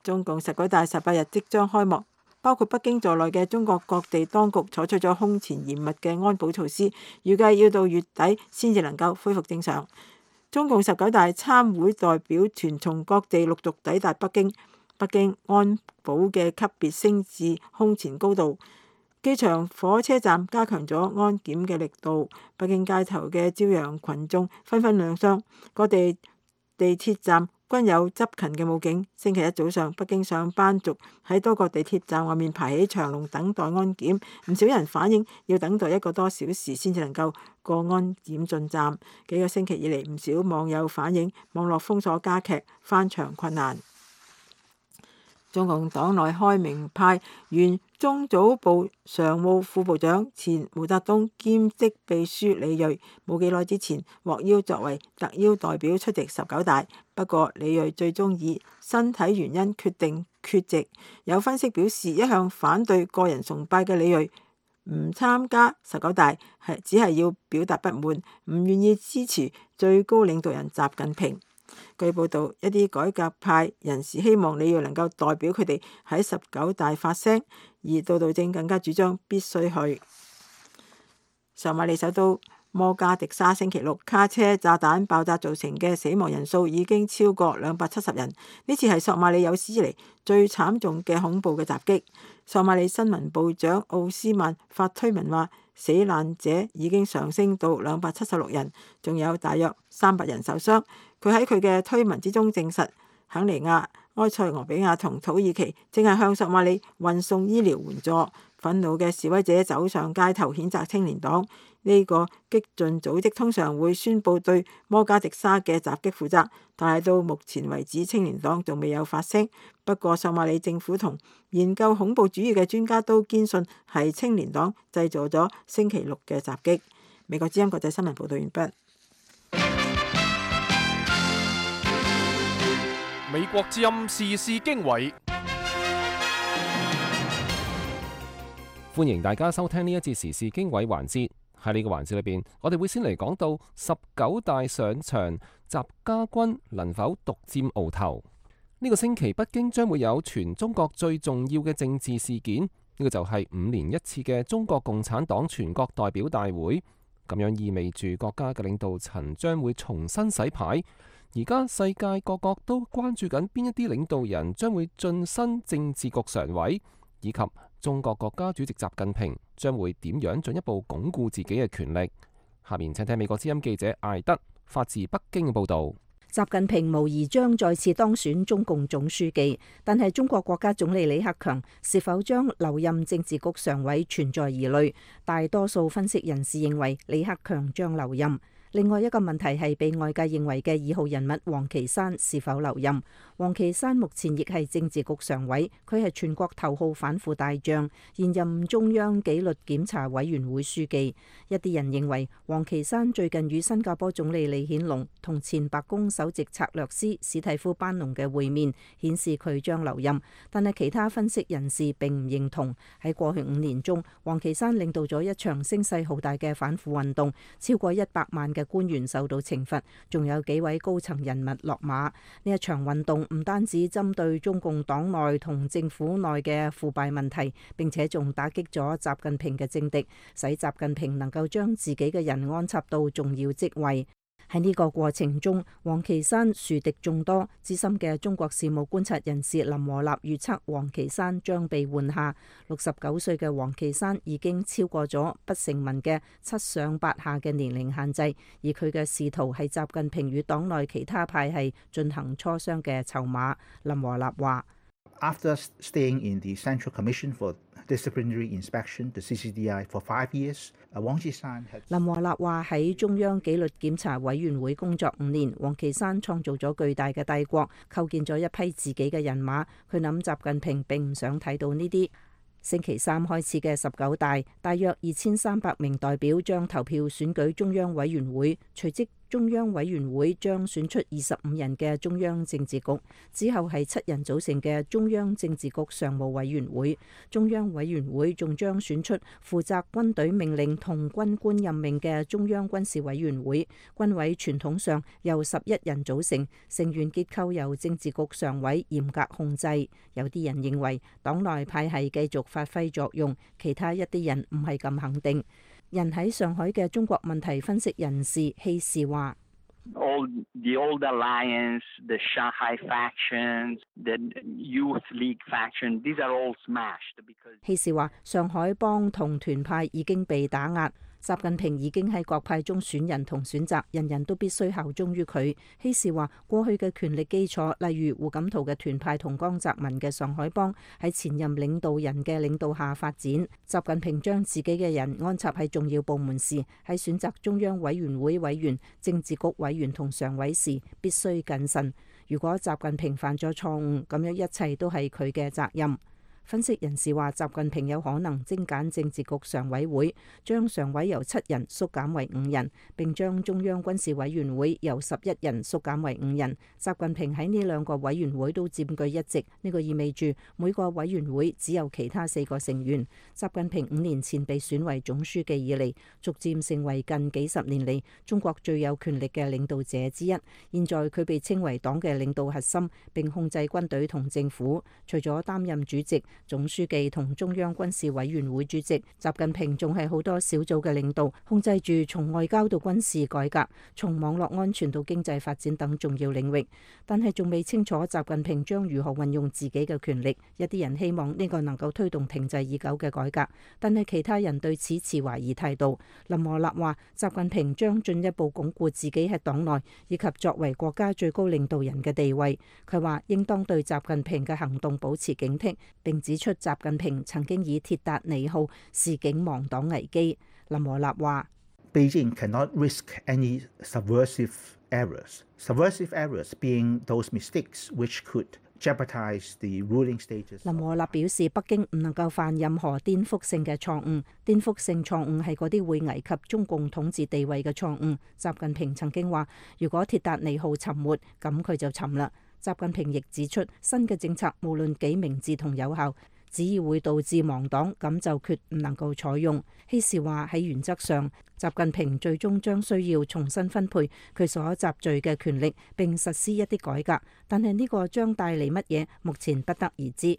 中共19大18日即將開幕。包括北京在內嘅中國各地當局採取咗空前嚴密嘅安保措施，預計要到月底先至能夠恢復正常。中共19大參會代表團從各地陸續抵達北京，北京安保嘅級別升至空前高度，機場、火車站加強咗安檢嘅力度，北京街頭嘅朝陽群眾紛紛亮相，各地地鐵站均有執勤嘅武警。星期一早上，北京上班族喺多個地鐵站外面排起長龍等待安檢，唔少人反映要等待1個多小時先至能夠過安檢進站。幾個星期以嚟，唔少網友反映網絡封鎖加劇，翻牆困難。中共黨內開明派原中組部常務副部長、前毛澤東兼職秘書李銳，冇幾耐之前獲邀作為特邀代表出席19大，不過李銳最終以身體原因決定缺席。有分析表示，一向反對個人崇拜嘅李銳唔參加19大只係要表達不滿，唔願意支持最高領導人習近平。據報道，一啲改革派人士希望你要能夠代表佢哋喺19大發聲，而杜杜正更加主張必須去。索馬里首都摩加迪沙星期六卡車炸彈爆炸造成嘅死亡人數已經超過270人，呢次係索馬里有史以嚟最慘重嘅恐怖嘅襲擊。索馬里新聞部長奧斯曼發推文話，死難者已經上升到276人，仲有大約300人受傷。佢喺佢嘅推文之中證實，肯尼亞、埃塞俄比亞同土耳其正係向索馬里運送醫療援助。憤怒嘅示威者走上街頭譴責青年黨。呢個激進組織通常會宣佈對摩加迪沙嘅襲擊負責，但係到目前為止青年黨仲未有發聲。不過索馬里政府同研究恐怖主義嘅專家都堅信係青年黨製造咗星期六嘅襲擊。美國之音國際新聞報道完畢。美國之音時事經緯。歡迎大家收聽呢一節時事經緯環節。喺呢個環節裏邊，我哋會先嚟講到19大上場，習家軍能否獨佔鰲頭？呢個星期北京將會有全中國最重要嘅政治事件，呢個就係5年一次嘅中國共產黨全國代表大會。咁樣意味住國家嘅領導層將會重新洗牌。而家世界各國都關注緊邊一啲領導人將會晉身政治局常委，以及中國國家主席習近平將會點樣進一步鞏固自己嘅權力。下面請聽美國之音記者艾德發自北京嘅報導。習近平無疑將再次當選中共總書記，但係中國國家總理李克強是否將留任政治局常委存在疑慮。大多數分析人士認為李克強將留任。另外一個問題係被外界認為嘅2號人物王岐山是否留任。王岐山目前亦係政治局常委，佢係全國頭號反腐大將，現任中央紀律檢查委員會書記。一啲人認為王岐山最近與新加坡總理李顯龍同前白宮首席策略師史蒂夫班農嘅會面，顯示佢將留任。但係其他分析人士並唔認同。喺過去5年中，王岐山領導咗一場聲勢浩大嘅反腐運動，超過100萬嘅官員受到懲罰，仲有幾位高層人物落馬。呢一場運動唔單止針對中共黨內同政府內嘅腐敗問題，並且仲打擊咗習近平嘅政敵，使習近平能夠將自己嘅人安插到重要職位。喺呢個過程中，王岐山樹敵眾多。資深嘅中國事務觀察人士林和立預測王岐山將被換下。69歲嘅王岐山已經超過咗不成文嘅7上8下嘅年齡限制，而佢嘅仕途係習近平與黨內其他派系進行磋商嘅籌碼。林和立話：After staying in the Central Commission for Disciplinary Inspection, the CCDI, for 5 years, 林和立話喺中央紀律檢查委員會工作5年，王岐山創造咗巨大嘅帝國，構建咗一批自己嘅人馬。佢諗習近平並唔想睇到呢啲。星期三開始嘅19大，大約2300名代表將投票選舉中央委員會，隨即中央委員會將選出25人嘅中央政治局，之後係7人組成嘅中央政治局常務委員會。中央委員會仲將選出負責軍隊命令同軍官任命嘅中央軍事委員會。軍委傳統上由11人組成，成員結構由政治局常委嚴格控制。有啲人認為黨內派系繼續發揮作用，其他一啲人唔係咁肯定。人喺上海嘅中國問題分析人士希士話：The old alliance, the Shanghai factions, the Youth League faction, these are all smashed. 希士話：上海幫同團派已經被打壓。習近平已經喺各派中選人同選擇，人人都必須效忠於佢。希士話：過去嘅權力基礎，例如胡錦濤嘅團派同江澤民嘅上海幫，喺前任領導人嘅領導下發展。習近平將自己嘅人安插喺重要部門時，喺選擇中央委員會委員、政治局委員同常委時，必須謹慎。如果習近平犯咗錯誤，咁樣一切都係佢嘅責任。分析人士話，習近平有可能精簡政治局常委會，將常委由7人縮減為5人，並將中央軍事委員會由11人縮減為5人。習近平喺呢2個委員會都佔據1席，呢個意味住每個委員會只有其他4個成員。習近平5年前被選為總書記以嚟，逐漸成為近幾十年嚟中國最有權力嘅領導者之一。現在佢被稱為黨嘅領導核心，並控制軍隊同政府。除咗擔任主席、總書記同中央軍事委員會主席，習近平仲係好多小組嘅領導，控制住從外交到軍事改革、從網絡安全到經濟發展等重要領域。但係仲未清楚習近平將如何運用自己嘅權力。一啲人希望呢個能夠推動停滯已久嘅改革，但係其他人對此持懷疑態度。林和立話，習近平將進一步鞏固自己喺黨內以及作為國家最高領導人嘅地位。佢話應當對習近平嘅行動保持警惕，並指出習近平曾經以鐵達尼號示警亡黨危機。林和立話 Beijing cannot risk any subversive errors being those mistakes which could jeopardize the ruling status。林和立表示，北京唔能夠犯任何顛覆性嘅錯誤，顛覆性錯誤係嗰啲會危及中共統治地位嘅錯誤。習近平曾經話，如果鐵達尼號沉沒，咁佢就沉啦。習近平亦指出，新嘅政策無論幾明智同有效，只要會導致亡黨，咁就決唔能夠採用。希時話喺原則上，習近平最終將需要重新分配佢所集聚嘅權力，並實施一啲改革，但係呢個將帶嚟乜嘢，目前不得而知。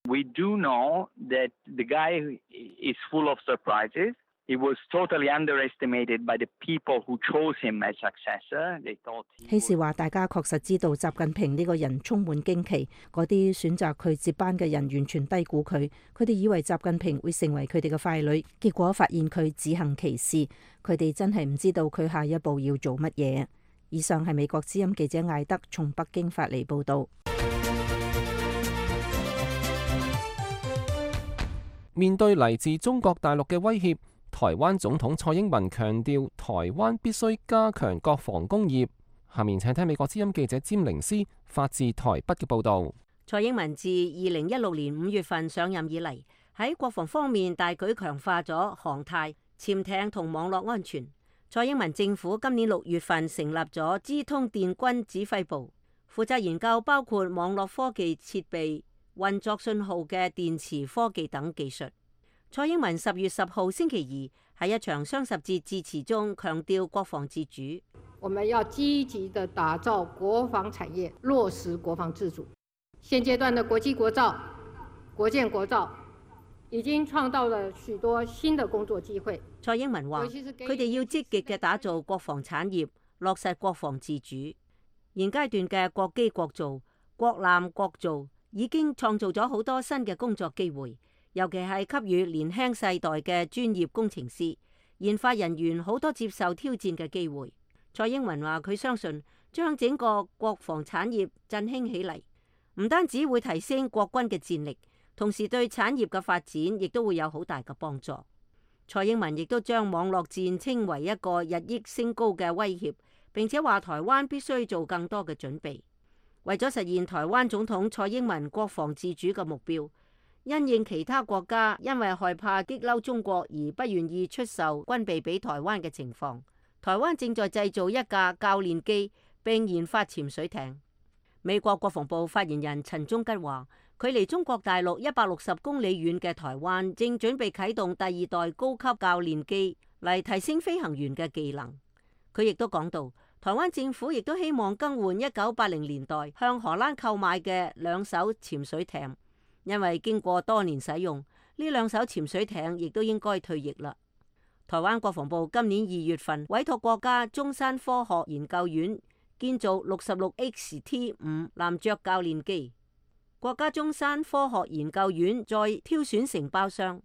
We do know that the guy is full of surprises. He was totally underestimated by the people who chose him as successor. They thought he 希時話，大家確實知道習近平呢個人充滿驚奇，嗰啲選擇佢接班嘅人完全低估佢。佢哋以為習近平會成為佢哋嘅傀儡，結果發現佢自行其事。佢哋真係唔知道佢下一步要做乜嘢。以上係美國之音記者艾德從北京發嚟報導。面對嚟自中國大陸嘅威脅，台灣總統蔡英文強調，台灣必須加強國防工業。下面請聽美國之音記者詹寧斯發自台北嘅報導。蔡英文自2016年5月份上任以嚟，喺國防方面大舉強化咗航太、潛艇同網絡安全。蔡英文政府今年6月份成立咗資通電軍指揮部，負責研究包括網絡科技設備、運作信號嘅電磁科技等技術。蔡英文10月10號星期二喺一場雙十節致辭中強調國防自主。我們要積極地打造國防產業，落實國防自主。現階段的國際國造、國建國造已經創造了許多新的工作機會。蔡英文話：佢哋要積極嘅打造國防產業，落實國防自主。現階段嘅國機國造、國艦國造已經創造咗好多新嘅工作機會。尤其係給予年輕世代嘅專業工程師、研發人員好多接受挑戰嘅機會。蔡英文話：佢相信將整個國防產業振興起嚟，唔單止會提升國軍嘅戰力，同時對產業嘅發展亦都會有好大嘅幫助。蔡英文亦都將網絡戰稱為一個日益升高嘅威脅，並且話台灣必須做更多嘅準備，為咗實現台灣總統蔡英文國防自主嘅目標。因應其他國家因為害怕激嬲中國而不願意出售軍備俾台灣嘅情況，台灣正在製造一架教練機並研發潛水艇。美國國防部發言人陳忠吉話，距離中國大陸160公里遠嘅台灣正準備啟動第2代高級教練機嚟提升飛行員嘅技能。佢亦都講到，台灣政府亦都希望更換1980年代向荷蘭購買嘅2艘潛水艇。因為經過多年使用，呢2艘潛水艇亦都應該退役啦。台灣國防部今年2月份委託國家中山科學研究院建造 66XT5 男爵教練機，國家中山科學研究院再挑選承包商，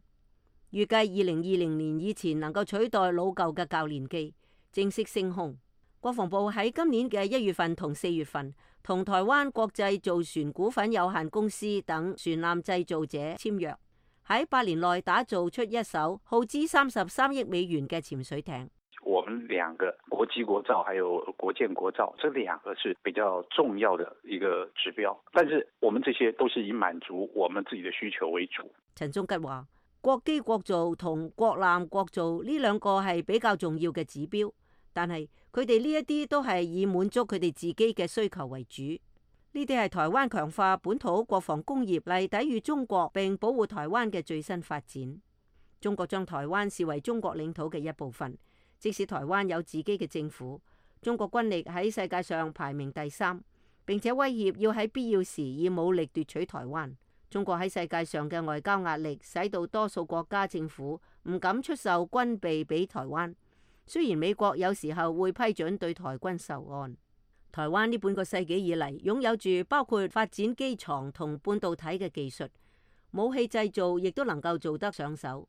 預計2020年以前能夠取代老舊嘅教練機，正式升空。國防部喺今年嘅1月份同4月份，同台灣國際造船股份有限公司等船艦製造者簽約，喺8年內打造出一艘耗資33億美元嘅潛水艇。我們兩個國際國造還有國建國造，這兩個是比較重要的一個指標。但是我們這些都是以滿足我們自己的需求為主。陳忠吉話：國機國造同國艦國造呢兩個係比較重要嘅指標，但係佢哋呢一啲都係以滿足佢哋自己嘅需求為主。呢啲係台灣強化本土國防工業嚟抵禦中國並保護台灣嘅最新發展。中國將台灣視為中國領土嘅一部分，即使台灣有自己嘅政府，中國軍力喺世界上排名第3，並且威脅要喺必要時以武力奪取台灣。中國喺世界上嘅外交壓力，使到多數國家政府唔敢出售軍備俾台灣。雖然美國有時候會批准對台軍售案。台灣呢半個世紀以嚟，擁有住包括發展機床同半導體嘅技術，武器製造亦都能夠做得上手。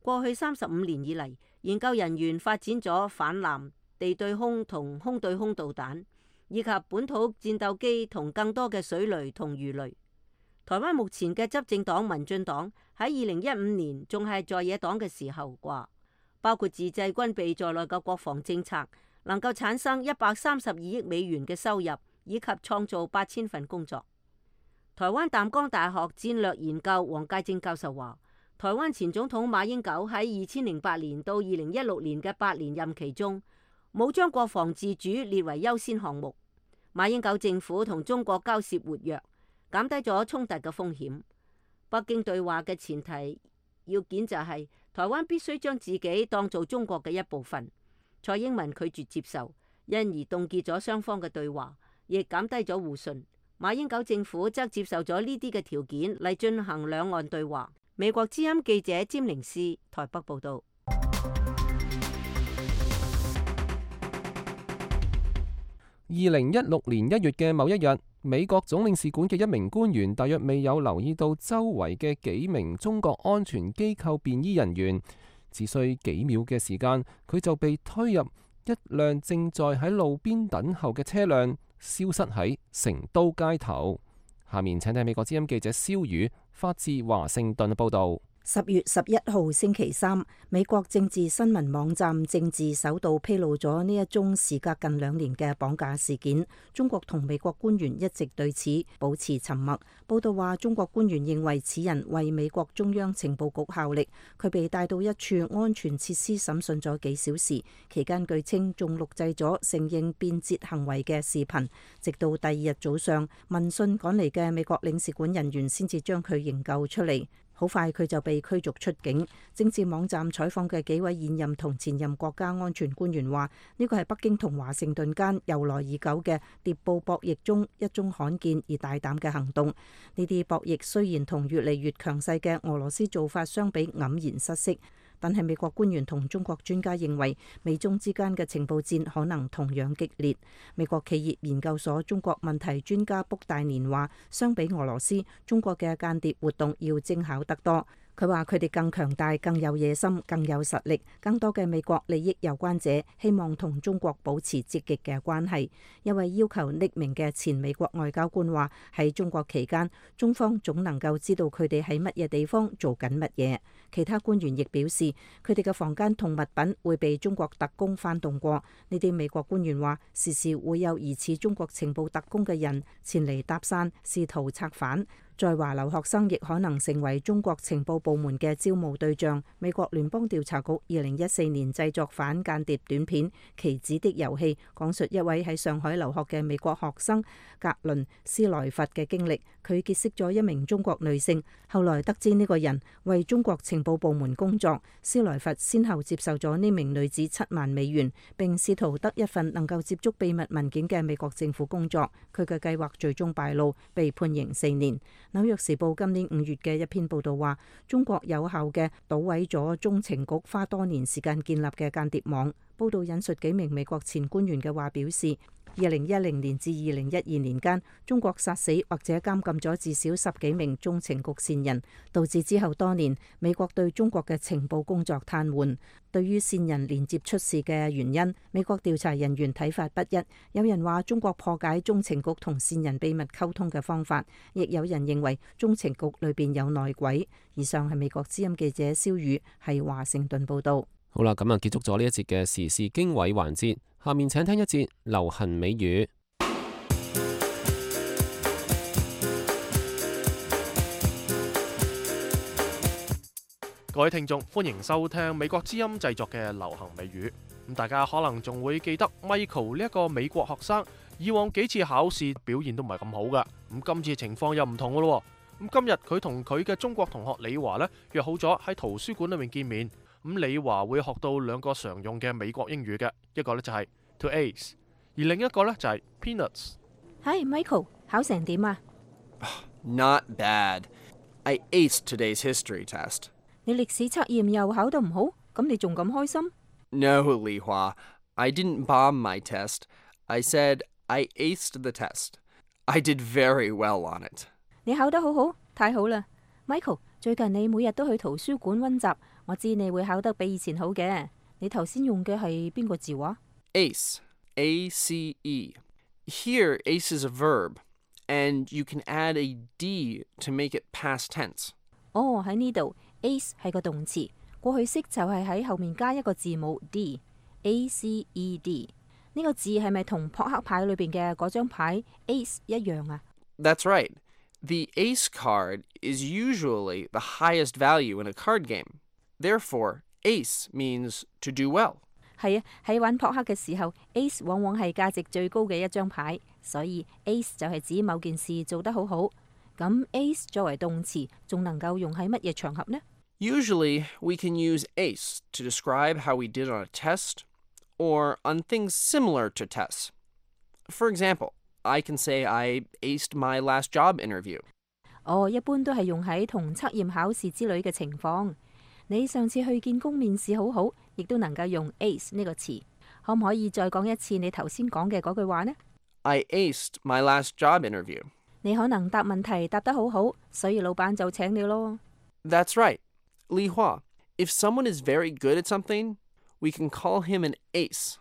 過去35年以嚟，研究人員發展咗反艦、地對空同空對空導彈，以及本土戰鬥機同更多嘅水雷同魚雷。台灣目前嘅執政黨民進黨喺2015年仲係在野黨嘅時候話，包括自製軍備在內嘅國防政策，能夠產生132億美元嘅收入，以及創造8000份工作。台灣淡江大學戰略研究黃介正教授話，台灣前總統馬英九喺2008年到2016年嘅8年任期中，冇將國防自主列為優先項目。馬英九政府同中國交涉活躍，減低咗衝突嘅風險。北京對話嘅前提要件就係台灣必須將自己當做中國嘅一部分。蔡英文拒絕接受，因而凍結咗雙方嘅對話，亦減低咗互信。馬英九政府則接受咗呢啲嘅條件嚟進行兩岸對話。美國之音記者詹寧斯台北報道。2016年1月嘅某一日，美國總領事館嘅一名官員大約未有留意到周圍嘅幾名中國安全機構便衣人員，只需幾秒嘅時間，佢就被推入一輛正在喺路邊等候嘅車輛，消失喺成都街頭。下面請睇美國之音記者蕭宇發自華盛頓報道。10月11號星期三，美國政治新聞網站政治首度披露咗呢一宗時隔近2年嘅綁架事件。中國同美國官員一直對此保持沉默。報道話，中國官員認為此人為美國中央情報局效力。佢被帶到一處安全設施審訊咗幾小時，期間據稱仲錄製咗承認變節行為嘅視頻。直到第2日早上，聞訊趕嚟嘅美國領事館人員先至將佢營救出嚟。好快佢就被驅逐出境。政治網站採訪嘅幾位現任同前任國家安全官員話，呢個係北京同華盛頓間由來已久嘅諜報博弈中一宗罕見而大膽嘅行動。呢啲博弈雖然同越嚟越強勢嘅俄羅斯做法相比黯然失色，但係美國官員同中國專家認為，美中之間嘅情報戰可能同樣激烈。美國企業研究所中國問題專家卜大年話，相比俄羅斯，中國嘅間諜活動要精巧得多。佢話佢哋更強大、更有野心、更有實力。更多嘅美國利益有關者希望同中國保持積極嘅關係。一位要求匿名嘅前美國外交官話，喺中國期間，中方總能夠知道佢哋喺乜嘢地方做緊乜嘢。其他官員亦表示，佢哋嘅房間同物品會被中國特工翻動過。呢啲美國官員話，時時會有疑似中國情報特工嘅人前嚟搭訕，試圖策反。在華留學生亦可能成為中國情報部門嘅招募對象。美國聯邦調查局2014年製作反間諜短片《棋子的遊戲》，講述一位喺上海留學嘅美國學生格倫斯萊弗嘅經歷。佢結識咗一名中國女性，後來得知呢個人為中國情報部門工作。斯萊弗先後接受咗呢名女子7萬美元，並試圖得一份能夠接觸秘密文件嘅美國政府工作。佢嘅計劃最終敗露，被判刑4年。紐約時報今年5月嘅一篇報道話，中國有效嘅搗毀咗中情局花多年時間建立嘅間諜網。報道引述幾名美國前官員嘅話表示，2010年至2012年間，中國殺死或者監禁咗至少10幾名中情局線人，導致之後多年美國對中國嘅情報工作癱瘓。對於線人連接出事嘅原因，美國調查人員睇法不一。有人話中國破解中情局同線人秘密溝通嘅方法，亦有人認為中情局裏邊有內鬼。以上係美國之音記者蕭宇喺華盛頓報道。好啦，咁啊結束咗呢一節嘅時事經緯環節，下面請聽一節流行美語。各位聽眾，歡迎收聽美國之音製作嘅流行美語。咁大家可能仲會記得 Michael 呢一個美國學生，以往幾次考試表現都唔係咁好噶。咁今次情況又唔同噶咯。咁今日佢同佢嘅中國同學李華呢，約好咗喺圖書館裏面見面。咁李華會學到兩個常用嘅美國英語嘅，一個呢就係 to ace， 而另一個呢就係 peanuts。Hi Michael， 考成點啊？ Not bad. I aced today's history test. 你歷史測驗又考得唔好，咁你仲咁開心？ No, Li Hua. I didn't bomb my test. I said I aced the test. I did very well on it. 你考得好好，太好啦 ！Michael， 最近你每日都去圖書館溫習，我知你會考得比以前好嘅。你頭先用嘅係邊個字話？ Ace. A-C-E. Here, ace is a verb, and you can add a D to make it past tense. 哦，喺呢度 ace 係個動詞，過去式就係喺後面加一個字母 D。A-C-E-D 呢個字係咪同撲克牌裏邊嘅嗰張牌 ace 一樣啊？ That's right. The ace card is usually the highest value in a card game. Therefore, ace means to do well. 係啊，喺玩撲克嘅時候 ，ace 往往係價值最高嘅一張牌，所以 ace 就係指某件事做得好好。咁 ace 作為動詞，仲能夠用喺乜嘢場合呢？ Usually, we can use ace to describe how we did on a test or on things similar to tests. For example, I can say I aced my last job interview. 哦，一般都係用喺同測驗考試之類嘅情況。你上次去見工面試好好，亦都能夠用 ace 呢個詞。可唔可以再講一次你頭先講嘅嗰句話呢？ I aced my last job interview. 你可能答問題答得好好，所以老闆就請你咯。 That's right. Li Hua, if someone is very good at something, we can call him an ace.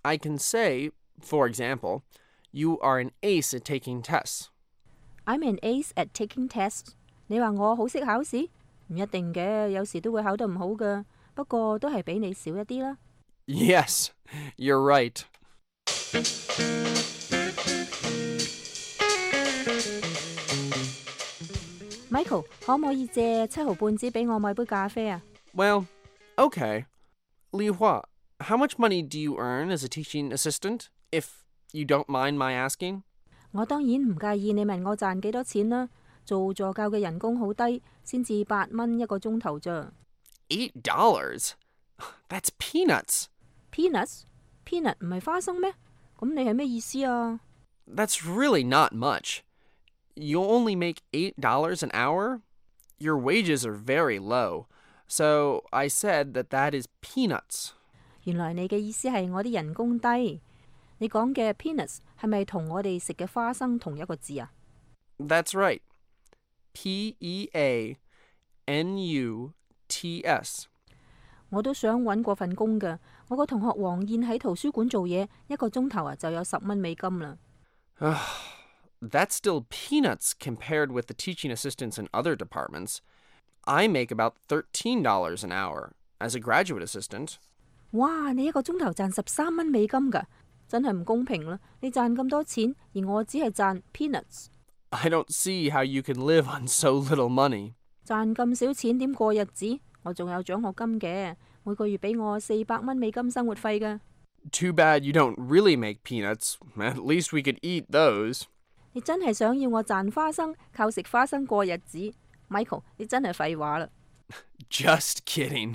I can say, for example, you are an ace at taking tests. I'm an ace at taking tests. 你話我好識考試？唔一定嘅，有時都會考得唔好㗎。不過都係比你少一啲啦。Yes, you're right. Michael， 可唔可以借7毫半紙俾我買杯咖啡啊？ Well, okay. Li Hua, how much money do you earn as a teaching assistant, if you don't mind my asking? 我當然唔介意你問我賺幾多錢啦。做助教嘅人工好低，先至8蚊一個鐘頭咋。$8? That's peanuts. Peanuts? Peanut 唔係花生咩？咁你係咩意思啊？ That's really not much. You only make $8 an hour? Your wages are very low. So I said that is peanuts. 原來你嘅意思係我啲人工低。你講嘅 peanuts 係咪同我哋食嘅花生同一個字啊？ That's right. P-E-A-N-U-T-S. 我都想揾過份工㗎。我個同學黃燕喺圖書館做嘢，一個鐘頭就有10蚊美金啦。That's still peanuts compared with the teaching assistants in other departments. I make about $13 an hour as a graduate assistant. 哇！你一個鐘頭賺13蚊美金㗎，真係唔公平啦！你賺咁多錢，而我只係賺 peanuts。 I don't see how you can live on so little money. 賺咁少錢點過日子？我仲有獎學金嘅，每個月俾我400蚊美金生活費㗎。Too bad you don't really make peanuts. At least we could eat those. 你真係想要我賺花生，靠食花生過日子 ？Michael， 你真係廢話啦。Just kidding.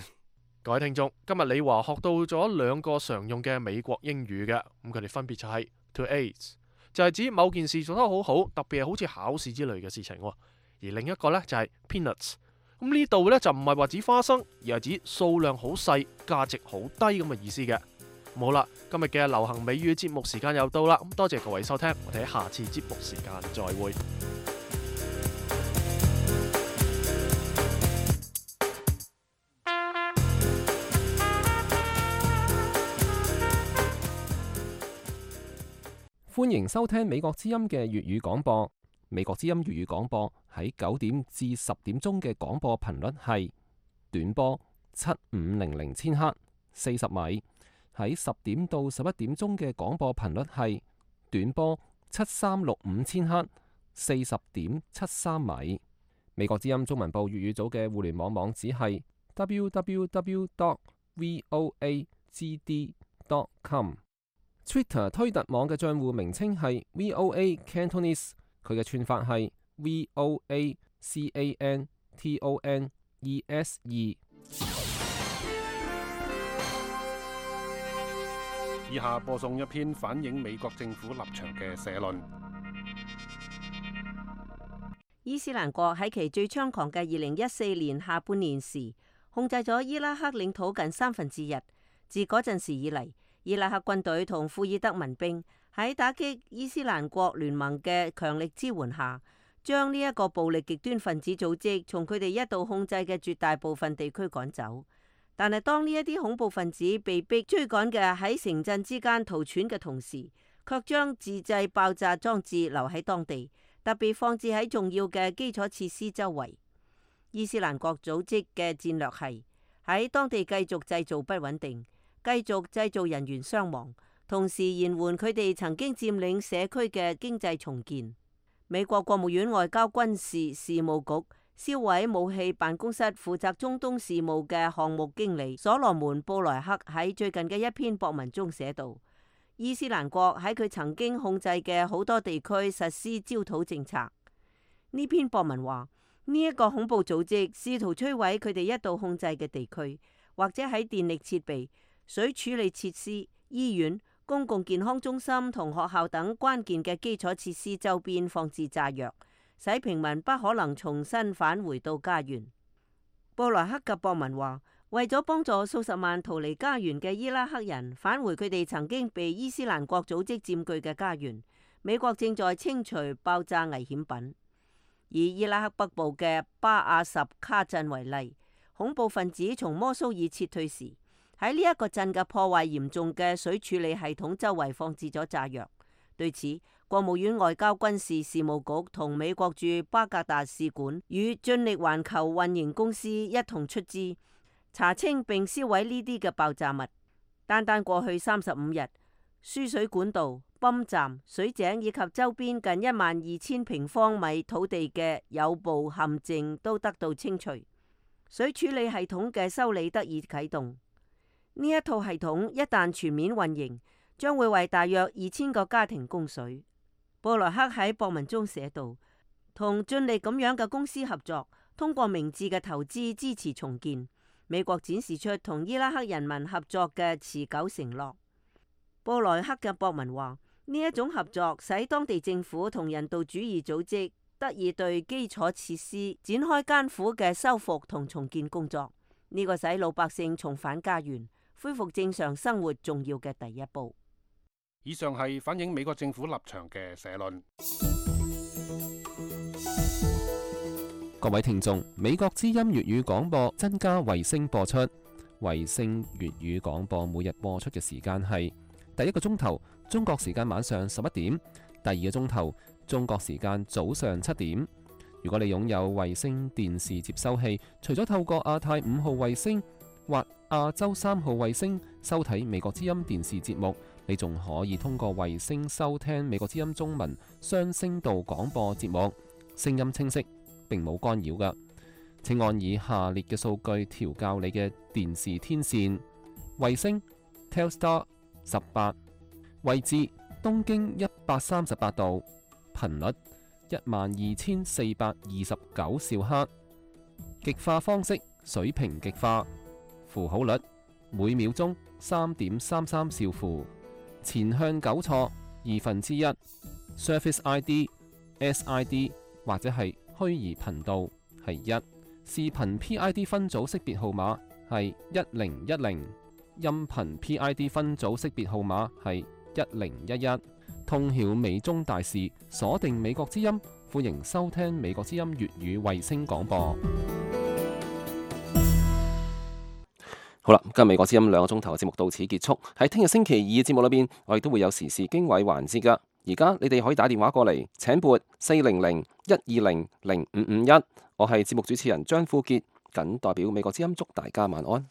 各位聽眾，今日李華學到咗兩個常用嘅美國英語嘅，咁佢哋分別就係 to ace， 就係指某件事做得好好，特別係好似考試之類嘅事情，而另一個呢，就係 peanuts。咁呢度呢，就唔係話指花生，而係指數量好細、價值好低咁嘅意思嘅。好啦，今日嘅流行美語節目時間又到啦，咁多謝各位收聽，我哋喺下次節目時間再會。歡迎收聽美國之音嘅粵語廣播。美國之音粵語廣播喺9點至10點鐘嘅廣播頻率係短波7500千赫， 40米。喺10點到11點鐘嘅廣播頻率係短波7365千赫，40.73米。美國之音中文部粵語組嘅互聯網網址係 www.voagd.com。Twitter 推特網嘅帳戶名稱係 VOA Cantonese， 佢嘅串法係 VOACANTONESE。以下播送一篇反映美國政府立場嘅社論。伊斯蘭國喺其最猖狂嘅2014年下半年時，控制咗伊拉克領土近1/3。自嗰陣時以嚟，伊拉克軍隊同庫爾德民兵喺打擊伊斯蘭國聯盟嘅強力支援下，將呢一個暴力極端分子組織從佢哋一度控制嘅絕大部分地區趕走。但係當呢一啲恐怖分子被逼追趕嘅喺城鎮之間逃竄嘅同時，卻將自製爆炸裝置留喺當地，特別放置喺重要嘅基礎設施周圍。伊斯蘭國組織嘅戰略係喺當地繼續製造不穩定，繼續製造人員傷亡，同時延緩佢哋曾經佔領社區嘅經濟重建。美國國務院外交軍事事務局銷毀武器辦公室負責中東事務嘅項目經理所羅門布萊克喺最近嘅一篇博文中寫道：伊斯蘭國喺佢曾經控制嘅好多地區實施焦土政策。呢篇博文話，呢一個恐怖組織試圖摧毀佢哋一度控制嘅地區，或者喺電力設備、水處理設施、醫院、公共健康中心同學校等關鍵嘅基礎設施周邊放置炸藥，使平民不可能重新返回到家園。布萊克嘅博文話，為咗幫助數十萬逃離家園嘅伊拉克人返回佢哋曾經被伊斯蘭國組織佔據嘅家園，美國正在清除爆炸危險品。以伊拉克北部嘅巴亞什卡鎮為例，恐怖分子從摩蘇爾撤退時，喺呢一個鎮嘅破壞嚴重嘅水處理系統周圍放置咗炸藥。對此，國務院外交軍事事務局同美國駐巴格達使館與盡力環球運營公司一同出資查清並銷毀呢啲嘅爆炸物。單單過去35日，輸水管道、泵站、水井以及周邊近12000平方米土地嘅有部陷阱都得到清除，水處理系統嘅修理得以啟動。呢一套系統一旦全面運營，將會為大約2000個家庭供水。布萊克喺博文中寫道：同盡力咁樣嘅公司合作，通過明智嘅投資支持重建，美國展示出同伊拉克人民合作嘅持久承諾。布萊克嘅博文話，呢一種合作使當地政府同人道主義組織得以對基礎設施展開艱苦嘅修復同重建工作，呢個使老百姓重返家園、恢復正常生活重要嘅第一步。以上係反映美國政府立場嘅社論。各位聽眾，美國之音粵語廣播增加衛星播出，衛星粵語廣播每日播出嘅時間係第一個鐘頭中國時間晚上11點，第二個鐘頭中國時間早上7點。如果你擁有衛星電視接收器，除咗透過亞太5號衛星或亞洲3號衛星收睇美國之音電視節目，你仲可以通過衛星收聽美國之音中文雙聲道廣播節目，聲音清晰，並冇干擾㗎。請按以下列嘅數據調校你嘅電視天線：衛星 Telstar 18，位置東經138度，頻率12429兆赫，極化方式水平極化，符號率每秒鐘3.33兆符，前向糾錯1/2， Surface ID、SID 或者係虛擬頻道係1，視頻 PID 分組識別號碼係1010，音頻 PID 分組識別號碼係1011。通曉美中大事，鎖定美國之音，歡迎收聽美國之音粵語衛星廣播。好啦，今日美國之音2個鐘頭嘅節目到此結束。喺聽日星期二嘅節目裏邊，我哋都會有時事經緯環節噶。而家你哋可以打電話過嚟，請撥400-120-0551。我係節目主持人張富傑，謹代表美國之音祝大家晚安。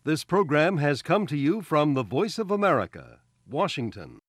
This program has come to you from the Voice of America, Washington.